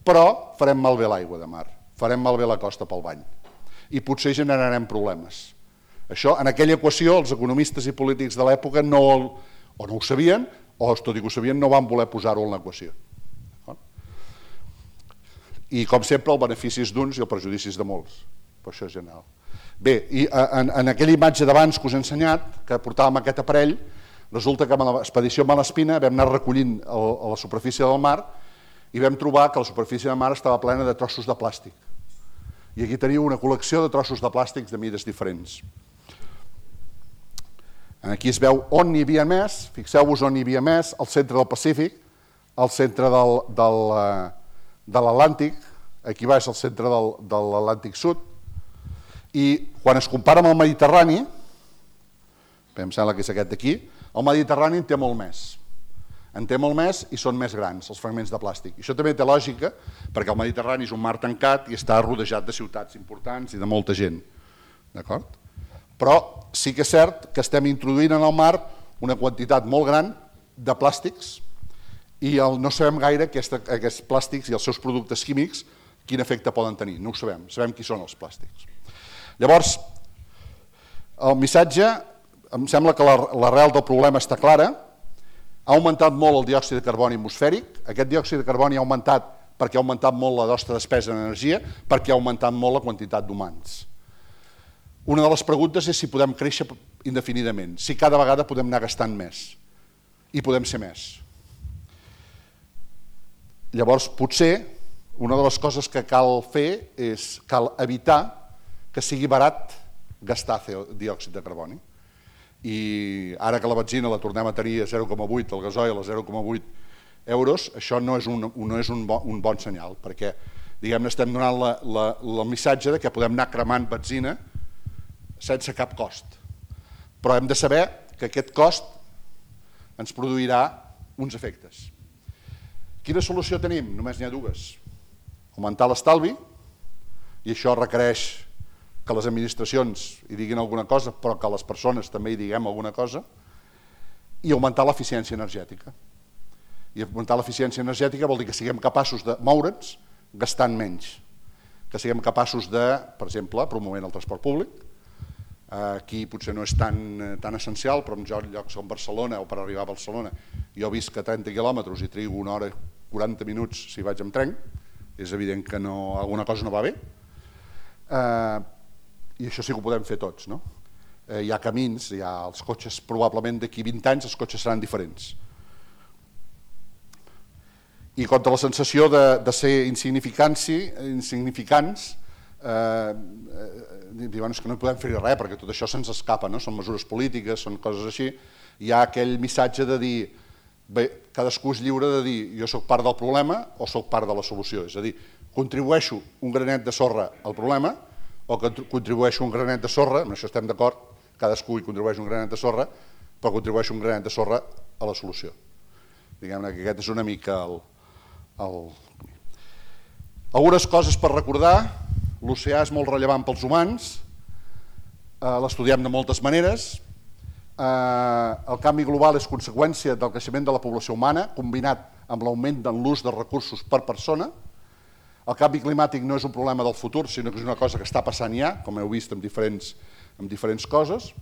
però farem malbé l'aigua de mar, farem malbé la costa pel bany i potser generarem problemes. Això, en aquella equació, els economistes i polítics de l'època no, o no ho sabien, o tot i que ho sabien no van voler posar-ho en l'equació. I com sempre el benefici és d'uns i el perjudici és de molts, però això és general. Bé, i en, en aquella imatge d'abans que us he ensenyat, que portàvem aquest aparell, resulta que amb l'expedició Malespina vam anar recollint el, a la superfície del mar i vam trobar que la superfície del mar estava plena de trossos de plàstic. I aquí teniu una col·lecció de trossos de plàstics de mides diferents. Aquí es veu on n'hi havia més, fixeu-vos on n'hi havia més, al centre del Pacífic, al centre del, del, de l'Atlàntic, aquí baix al centre del, de l'Atlàntic Sud, i quan es compara amb el Mediterrani, em sembla que és aquest d'aquí, el Mediterrani en té molt més. En té molt més i són més grans, els fragments de plàstic. I això també té lògica, perquè el Mediterrani és un mar tancat i està rodejat de ciutats importants i de molta gent. D'acord? Però sí que és cert que estem introduint en el mar una quantitat molt gran de plàstics i el, no sabem gaire aquesta, aquests plàstics i els seus productes químics quin efecte poden tenir. No ho sabem, sabem qui són els plàstics. Llavors, el missatge, em sembla que l'arrel del problema està clara. Ha augmentat molt el diòxid de carboni atmosfèric. Aquest diòxid de carboni ha augmentat perquè ha augmentat molt la nostra despesa en energia, perquè ha augmentat molt la quantitat d'humans. Una de les preguntes és si podem créixer indefinidament, si cada vegada podem anar gastant més i podem ser més. Llavors, potser, una de les coses que cal fer és cal evitar que sigui barat gastar diòxid de carboni. I ara que la benzina la tornem a tenir a zero coma vuit, el gasoil a zero coma vuit euros, això no és un, no és un, bon, un bon senyal, perquè diguem-ne estem donant la, la, el missatge de que podem anar cremant benzina sense cap cost. Però hem de saber que aquest cost ens produirà uns efectes. Quina solució tenim? Només n'hi ha dues. Augmentar l'estalvi, i això requereix que les administracions hi diguin alguna cosa, però que les persones també hi diguem alguna cosa, i augmentar l'eficiència energètica. I augmentar l'eficiència energètica vol dir que siguem capaços de moure'ns gastant menys, que siguem capaços de, per exemple, promovent el transport públic. Aquí potser no és tan, tan essencial, però en llocs com Barcelona o per arribar a Barcelona jo visc a trenta quilòmetres i trigo una hora i quaranta minuts si vaig amb tren, és evident que no, alguna cosa no va bé. Eh, I això sí que ho podem fer tots, no? Eh, hi ha camins, hi ha els cotxes, probablement d'aquí vint anys els cotxes seran diferents. I contra la sensació de, de ser insignificants, insignificants eh, eh, diuen que no podem fer res perquè tot això se'ns escapa, no? Són mesures polítiques, són coses així. Hi ha aquell missatge de dir, bé, cadascú és lliure de dir jo sóc part del problema o sóc part de la solució, és a dir, contribueixo un granet de sorra al problema o que contribueixo un granet de sorra, amb això estem d'acord, cadascú hi contribueix un granet de sorra, però contribueixo un granet de sorra a la solució. Diguem-ne que aquest és una mica el... el... Algunes coses per recordar: l'oceà és molt rellevant pels humans, eh, l'estudiem de moltes maneres, eh, el canvi global és conseqüència del creixement de la població humana, combinat amb l'augment en l'ús de recursos per persona. El canvi climàtic no és un problema del futur, sinó que és una cosa que està passant ja, com heu vist amb diferents, amb diferents coses.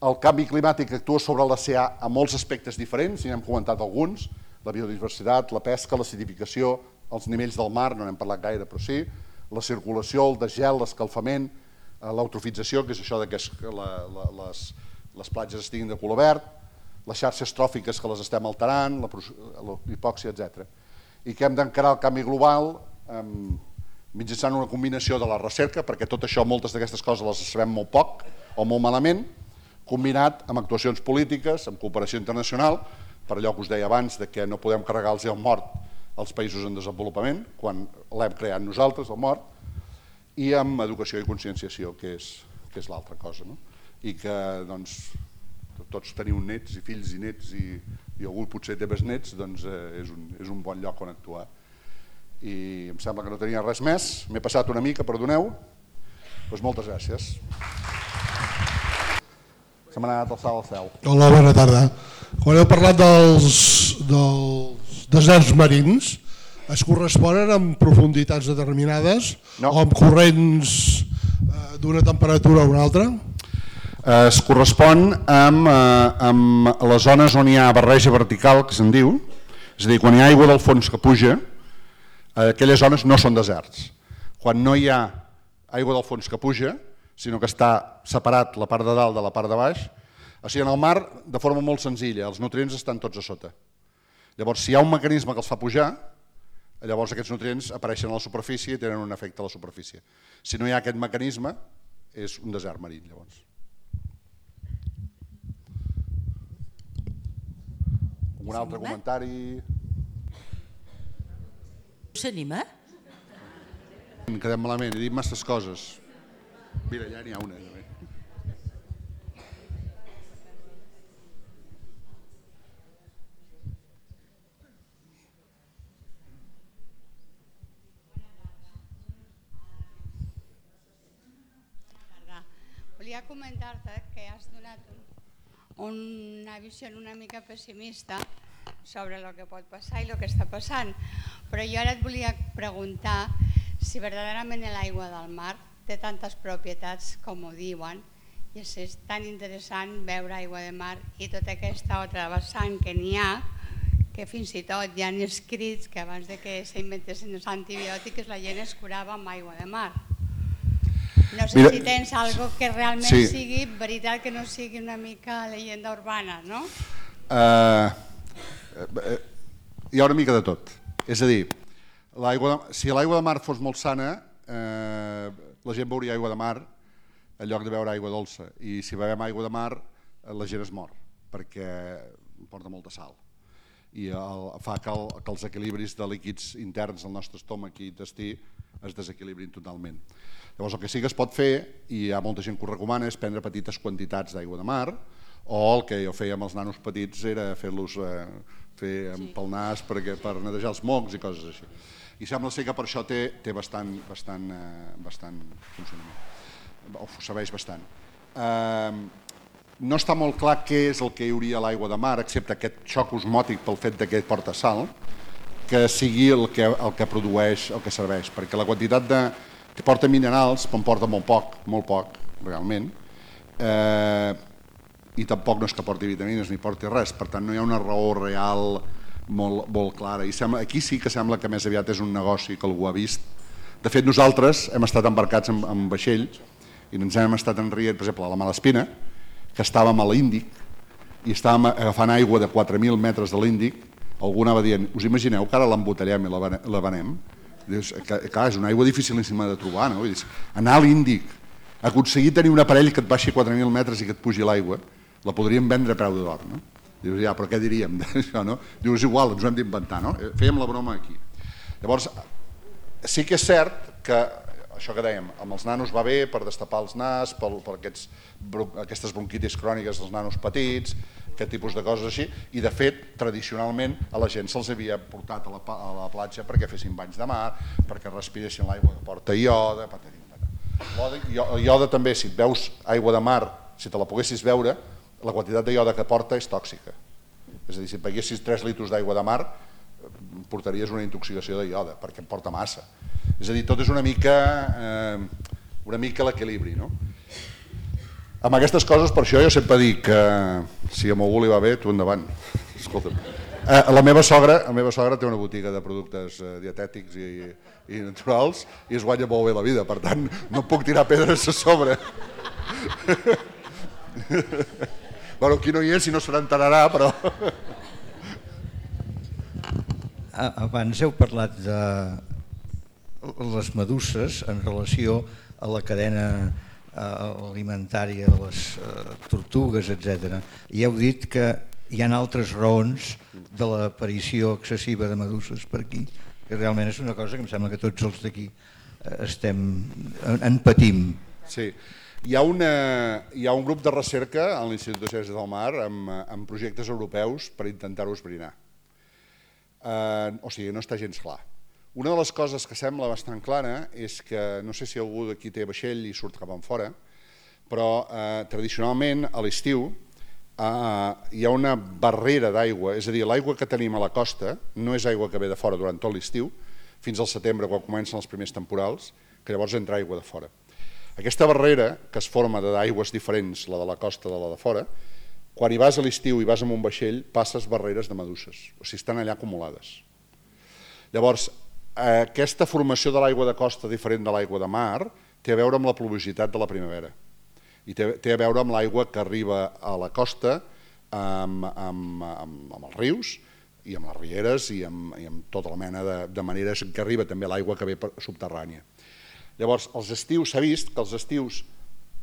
El canvi climàtic actua sobre l'oceà a molts aspectes diferents, i n'hem comentat alguns: la biodiversitat, la pesca, l'acidificació, els nivells del mar, no n'hem parlat gaire, però sí, la circulació, el desgel, l'escalfament, l'eutrofització, que és això que la, la, les, les platges estiguin de color verd, les xarxes tròfiques que les estem alterant, l'hipòxia, etcètera. I que hem d'encarar el canvi global mitjançant una combinació de la recerca, perquè tot això, moltes d'aquestes coses les sabem molt poc o molt malament, combinat amb actuacions polítiques, amb cooperació internacional, per allò que us deia abans, de que no podem carregar el gel mort als països en desenvolupament, quan l'hem creat nosaltres, el mort, i amb educació i conscienciació, que és, que és l'altra cosa, no? I que doncs, tots teniu nets i fills i nets, i, i algú potser té besnets, doncs eh, és, un, és un bon lloc on actuar. I em sembla que no tenia res més, m'he passat una mica, perdoneu, doncs moltes gràcies. Se m'ha anat el salt al cel. Hola, bona tarda. Quan heu parlat dels, dels deserts marins, es corresponen amb profunditats determinades no. o amb corrents eh, d'una temperatura a una altra? Es correspon amb, eh, amb les zones on hi ha barreja vertical, que se'n diu, és a dir, quan hi ha aigua del fons que puja, aquelles zones no són deserts. Quan no hi ha aigua del fons que puja, sinó que està separat la part de dalt de la part de baix, o sigui, en el mar, de forma molt senzilla, els nutrients estan tots a sota. Llavors, si hi ha un mecanisme que els fa pujar, llavors aquests nutrients apareixen a la superfície i tenen un efecte a la superfície. Si no hi ha aquest mecanisme, és un desert marí, llavors. Un altre comentari? S'anima? Em quedem malament, he dit masses coses. Mira, ja n'hi ha una. Volia comentar-te que has donat una visió una mica pessimista sobre el que pot passar i el que està passant, però jo ara et volia preguntar si verdaderament l'aigua del mar té tantes propietats com ho diuen, i és tan interessant veure aigua de mar i tota aquesta altra vessant que n'hi ha, que fins i tot hi ha escrits que abans de que s'inventessin els antibiòtics la gent es curava amb aigua de mar. No sé Mira, si tens algo que realment sí. sigui veritat, que no sigui una mica leyenda urbana, no? Uh, uh, hi ha una mica de tot. És a dir, de, si l'aigua de mar fos molt sana, uh, la gent beuria aigua de mar en lloc de beure aigua dolça. I si bevem aigua de mar, la gent es mor, perquè porta molta sal. I el, fa que, el, que els equilibris de líquids interns del nostre estómac i intestí es desequilibrin totalment. Llavors el que sí que es pot fer, i hi ha molta gent que ho recomana, és prendre petites quantitats d'aigua de mar, o el que jo feia amb els nanos petits era fer-los eh, fer sí. pel nas perquè, per netejar els mocs i coses així. I sembla ser que per això té, té bastant, bastant, eh, bastant funcionament, o serveix bastant. Eh, no està molt clar què és el que hi hauria a l'aigua de mar, excepte aquest xoc osmòtic pel fet que porta sal, que sigui el que, el que produeix, el que serveix, perquè la quantitat de, que porta minerals, en porta molt poc, molt poc, realment, eh, i tampoc no és que porti vitamines ni porti res, per tant no hi ha una raó real molt, molt clara. I sembla, aquí sí que sembla que més aviat és un negoci que algú ha vist. De fet, nosaltres hem estat embarcats en, en vaixells i ens hem estat enrient, per exemple, a la Malespina, que estàvem a l'Índic i estàvem agafant aigua de quatre mil metres de l'Índic. Algú anava dient, us imagineu que ara l'embotellem i la venem? Dius, que, clar, és una aigua dificilíssima de trobar, no? Dius, anar a l'Índic, aconseguir tenir un aparell que et baixi quatre mil metres i que et pugi l'aigua, la podríem vendre a preu d'or, no? Dius, ja, però què diríem d'això, no? Dius, igual, ens ho hem d'inventar, no? Fèiem la broma aquí. Llavors, sí que és cert que, això que dèiem, amb els nanos va bé per destapar els nas, per, per aquests, aquestes bronquitis cròniques dels nanos petits, aquest tipus de coses així, i de fet, tradicionalment, a la gent se'ls havia portat a la, a la platja perquè fessin banys de mar, perquè respiressin l'aigua que porta iode, patatim, patatim. Iode també, si et veus aigua de mar, si te la poguessis veure, la quantitat de iode que porta és tòxica. És a dir, si beguessis tres litres d'aigua de mar, portaries una intoxicació de iode, perquè en porta massa. És a dir, tot és una mica, eh, una mica l'equilibri, no? Amb aquestes coses, per això jo sempre dic que si a algú li va bé, tu endavant. Escolta'm. Eh, la meva sogra, la meva sogra té una botiga de productes eh, dietètics i, i naturals i es guanya molt bé la vida, per tant, no puc tirar pedres a sobre. Bueno, aquí no hi és i no se n'enterarà, però... Abans heu parlat de les meduses en relació a la cadena alimentària de les tortugues, etcètera. I heu dit que hi ha altres raons de l'aparició excessiva de meduses per aquí, que realment és una cosa que em sembla que tots els d'aquí estem, en patim. Sí. Hi ha, una, hi ha un grup de recerca a l'Institut de Ciències del Mar amb, amb projectes europeus per intentar-ho esbrinar. Eh, o sigui, no està gens clar. Una de les coses que sembla bastant clara és que, no sé si algú d'aquí té vaixell i surt cap enfora, però eh, tradicionalment a l'estiu eh, hi ha una barrera d'aigua, és a dir, l'aigua que tenim a la costa no és aigua que ve de fora durant tot l'estiu, fins al setembre quan comencen els primers temporals, que llavors entra aigua de fora. Aquesta barrera, que es forma d'aigües diferents, la de la costa de la de fora, quan hi vas a l'estiu i vas amb un vaixell, passes barreres de meduses, o sigui, estan allà acumulades. Llavors, aquesta formació de l'aigua de costa diferent de l'aigua de mar té a veure amb la pluviositat de la primavera i té, té a veure amb l'aigua que arriba a la costa amb, amb, amb, amb els rius i amb les rieres i amb, i amb tota la mena de, de maneres que arriba també l'aigua que ve subterrània. Llavors, els estius, s'ha vist que els estius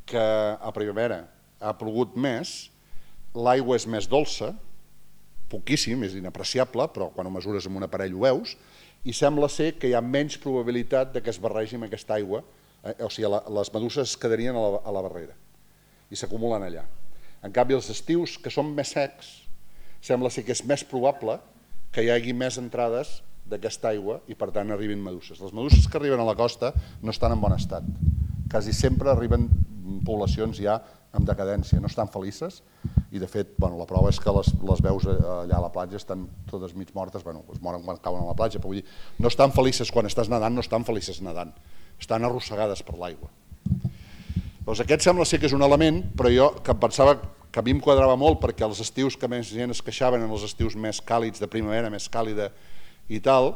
que a primavera ha plogut més, l'aigua és més dolça, poquíssim, és inapreciable, però quan ho mesures amb un aparell ho veus, i sembla ser que hi ha menys probabilitat que es barregi amb aquesta aigua, eh? O sigui, la, les meduses es quedarien a la, a la barrera i s'acumulen allà. En canvi, els estius, que són més secs, sembla ser que és més probable que hi hagi més entrades d'aquesta aigua i per tant arribin meduses. Les meduses que arriben a la costa no estan en bon estat. Quasi sempre arriben poblacions ja en decadència, no estan felices i de fet bueno, la prova és que les, les veus allà a la platja estan totes mig mortes, bueno, es moren quan cauen a la platja, però vull dir, no estan felices quan estàs nedant, no estan felices nedant, estan arrossegades per l'aigua. Doncs aquest sembla ser que és un element, però jo que em pensava que a mi em quadrava molt perquè els estius que més gent es queixaven en els estius més càlids, de primavera, més càlida i tal,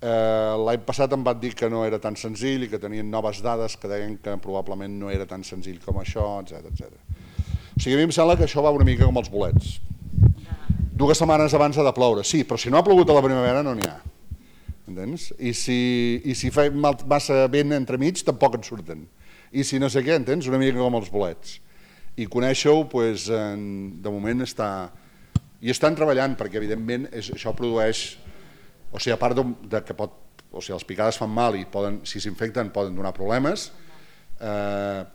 eh, l'any passat em van dir que no era tan senzill i que tenien noves dades que deien que probablement no era tan senzill com això, etcètera, etcètera. O sigui, a mi em sembla que això va una mica com els bolets. Dues setmanes abans ha de ploure, sí, però si no ha plogut a la primavera no n'hi ha. Entens? I si, i si fa massa vent entremig tampoc en surten. I si no sé què, entens? Una mica com els bolets. I conèixer-ho, doncs, de moment està... I estan treballant, perquè evidentment això produeix... O sigui, a part de que pot... O sigui, les picades fan mal i poden, si s'infecten poden donar problemes, eh,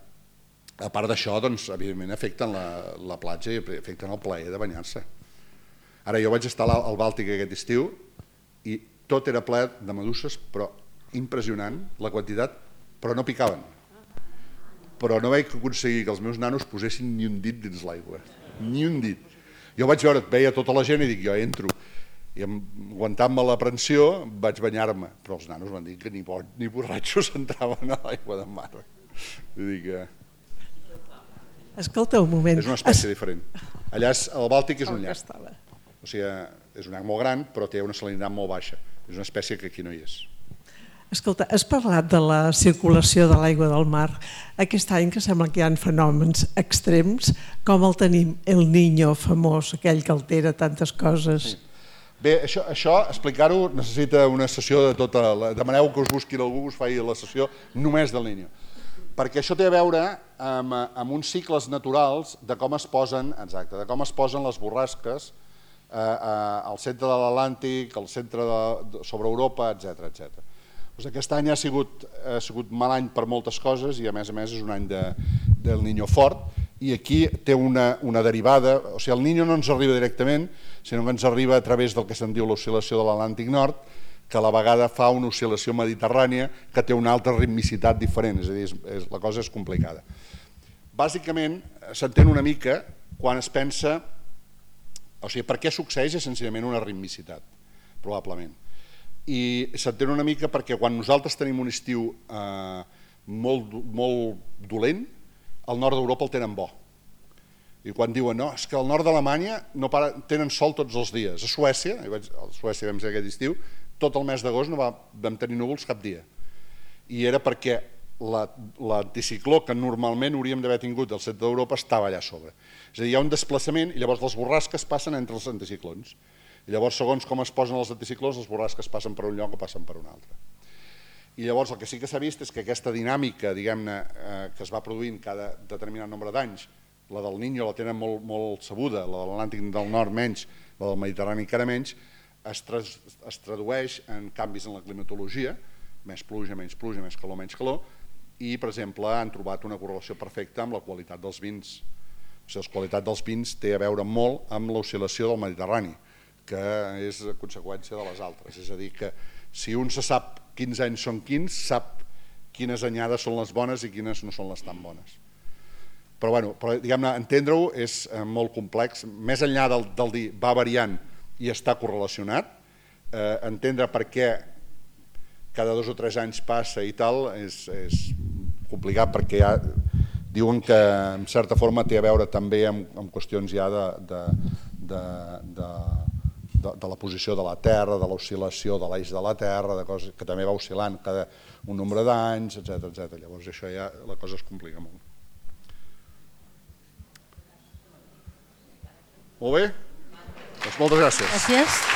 a part d'això, doncs, evidentment afecten la, la platja i afecten el plaer de banyar-se. Ara, jo vaig estar al Bàltic aquest estiu i tot era ple de meduses, però impressionant, la quantitat, però no picaven. Però no vaig aconseguir que els meus nanos posessin ni un dit dins l'aigua, ni un dit. Jo vaig veure, veia tota la gent i dic, jo entro, i aguantant-me l'aprensió vaig banyar-me, però els nanos van dir que ni, ni borratxos entraven a l'aigua de mar. Vull dir que... Escolta un moment. És una espècie diferent. Allà el Bàltic és un llac. Estava. O sigui, és un llac molt gran, però té una salinitat molt baixa. És una espècie que aquí no hi és. Escolta, has parlat de la circulació de l'aigua del mar. Aquest any que sembla que hi ha fenòmens extrems, com el tenim el Niño famós, aquell que altera tantes coses. Sí. Bé, això, això explicar-ho necessita una sessió de tota... La, demaneu que us busqui algú que us faci la sessió només del Niño. Perquè això té a veure amb, amb uns cicles naturals de com es posen, exacte, de com es posen les borrasques eh, eh, al centre de l'Atlàntic, al centre de, de, sobre Europa, etcètera, etcètera. Doncs aquest any ha sigut, ha sigut mal any per moltes coses i a més a més és un any de, del Niño fort i aquí té una, una derivada, o sigui el Niño no ens arriba directament, sinó que ens arriba a través del que se'n diu l'oscil·lació de l'Atlàntic Nord, que a la vegada fa una oscil·lació mediterrània que té una altra ritmicitat diferent, és a dir, és, és, la cosa és complicada. Bàsicament s'entén una mica quan es pensa, o sigui, per què succeeix és senzillament una ritmicitat, probablement. I s'entén una mica perquè quan nosaltres tenim un estiu eh, molt, molt dolent, al nord d'Europa el tenen bo. I quan diuen, no, és que al nord d'Alemanya no para, tenen sol tots els dies. A Suècia, a Suècia vam ser aquest estiu, tot el mes d'agost no va, vam tenir núvols cap dia. I era perquè l'anticicló que normalment hauríem d'haver tingut al centre d'Europa estava allà a sobre. És a dir, hi ha un desplaçament i llavors les borrasques passen entre els anticiclons. I llavors, segons com es posen els anticiclons, les borrasques passen per un lloc o passen per un altre. I llavors el que sí que s'ha vist és que aquesta dinàmica, diguem-ne, eh, que es va produint cada determinat nombre d'anys, la del Niño la tenen molt, molt sabuda, la de l'Atlàntic del Nord menys, la del Mediterrani encara menys, es, tra es tradueix en canvis en la climatologia, més pluja, menys pluja, més calor, menys calor, i, per exemple, han trobat una correlació perfecta amb la qualitat dels vins. O sigui, la qualitat dels vins té a veure molt amb l'oscil·lació del Mediterrani, que és conseqüència de les altres. És a dir, que si un se sap quins anys són quins, sap quines anyades són les bones i quines no són les tan bones. Però, bueno, però diguem-ne, entendre-ho és molt complex. Més enllà del, del dir va variant i està correlacionat, eh, entendre per què cada dos o tres anys passa i tal és, és complicat perquè ja diuen que en certa forma té a veure també amb, amb qüestions ja de, de, de, de, de, de la posició de la Terra, de l'oscil·lació de l'eix de la Terra, de coses que també va oscil·lant cada un nombre d'anys, etcètera, etcètera. Llavors això ja la cosa es complica molt. Molt bé? Doncs moltes gràcies. Gràcies.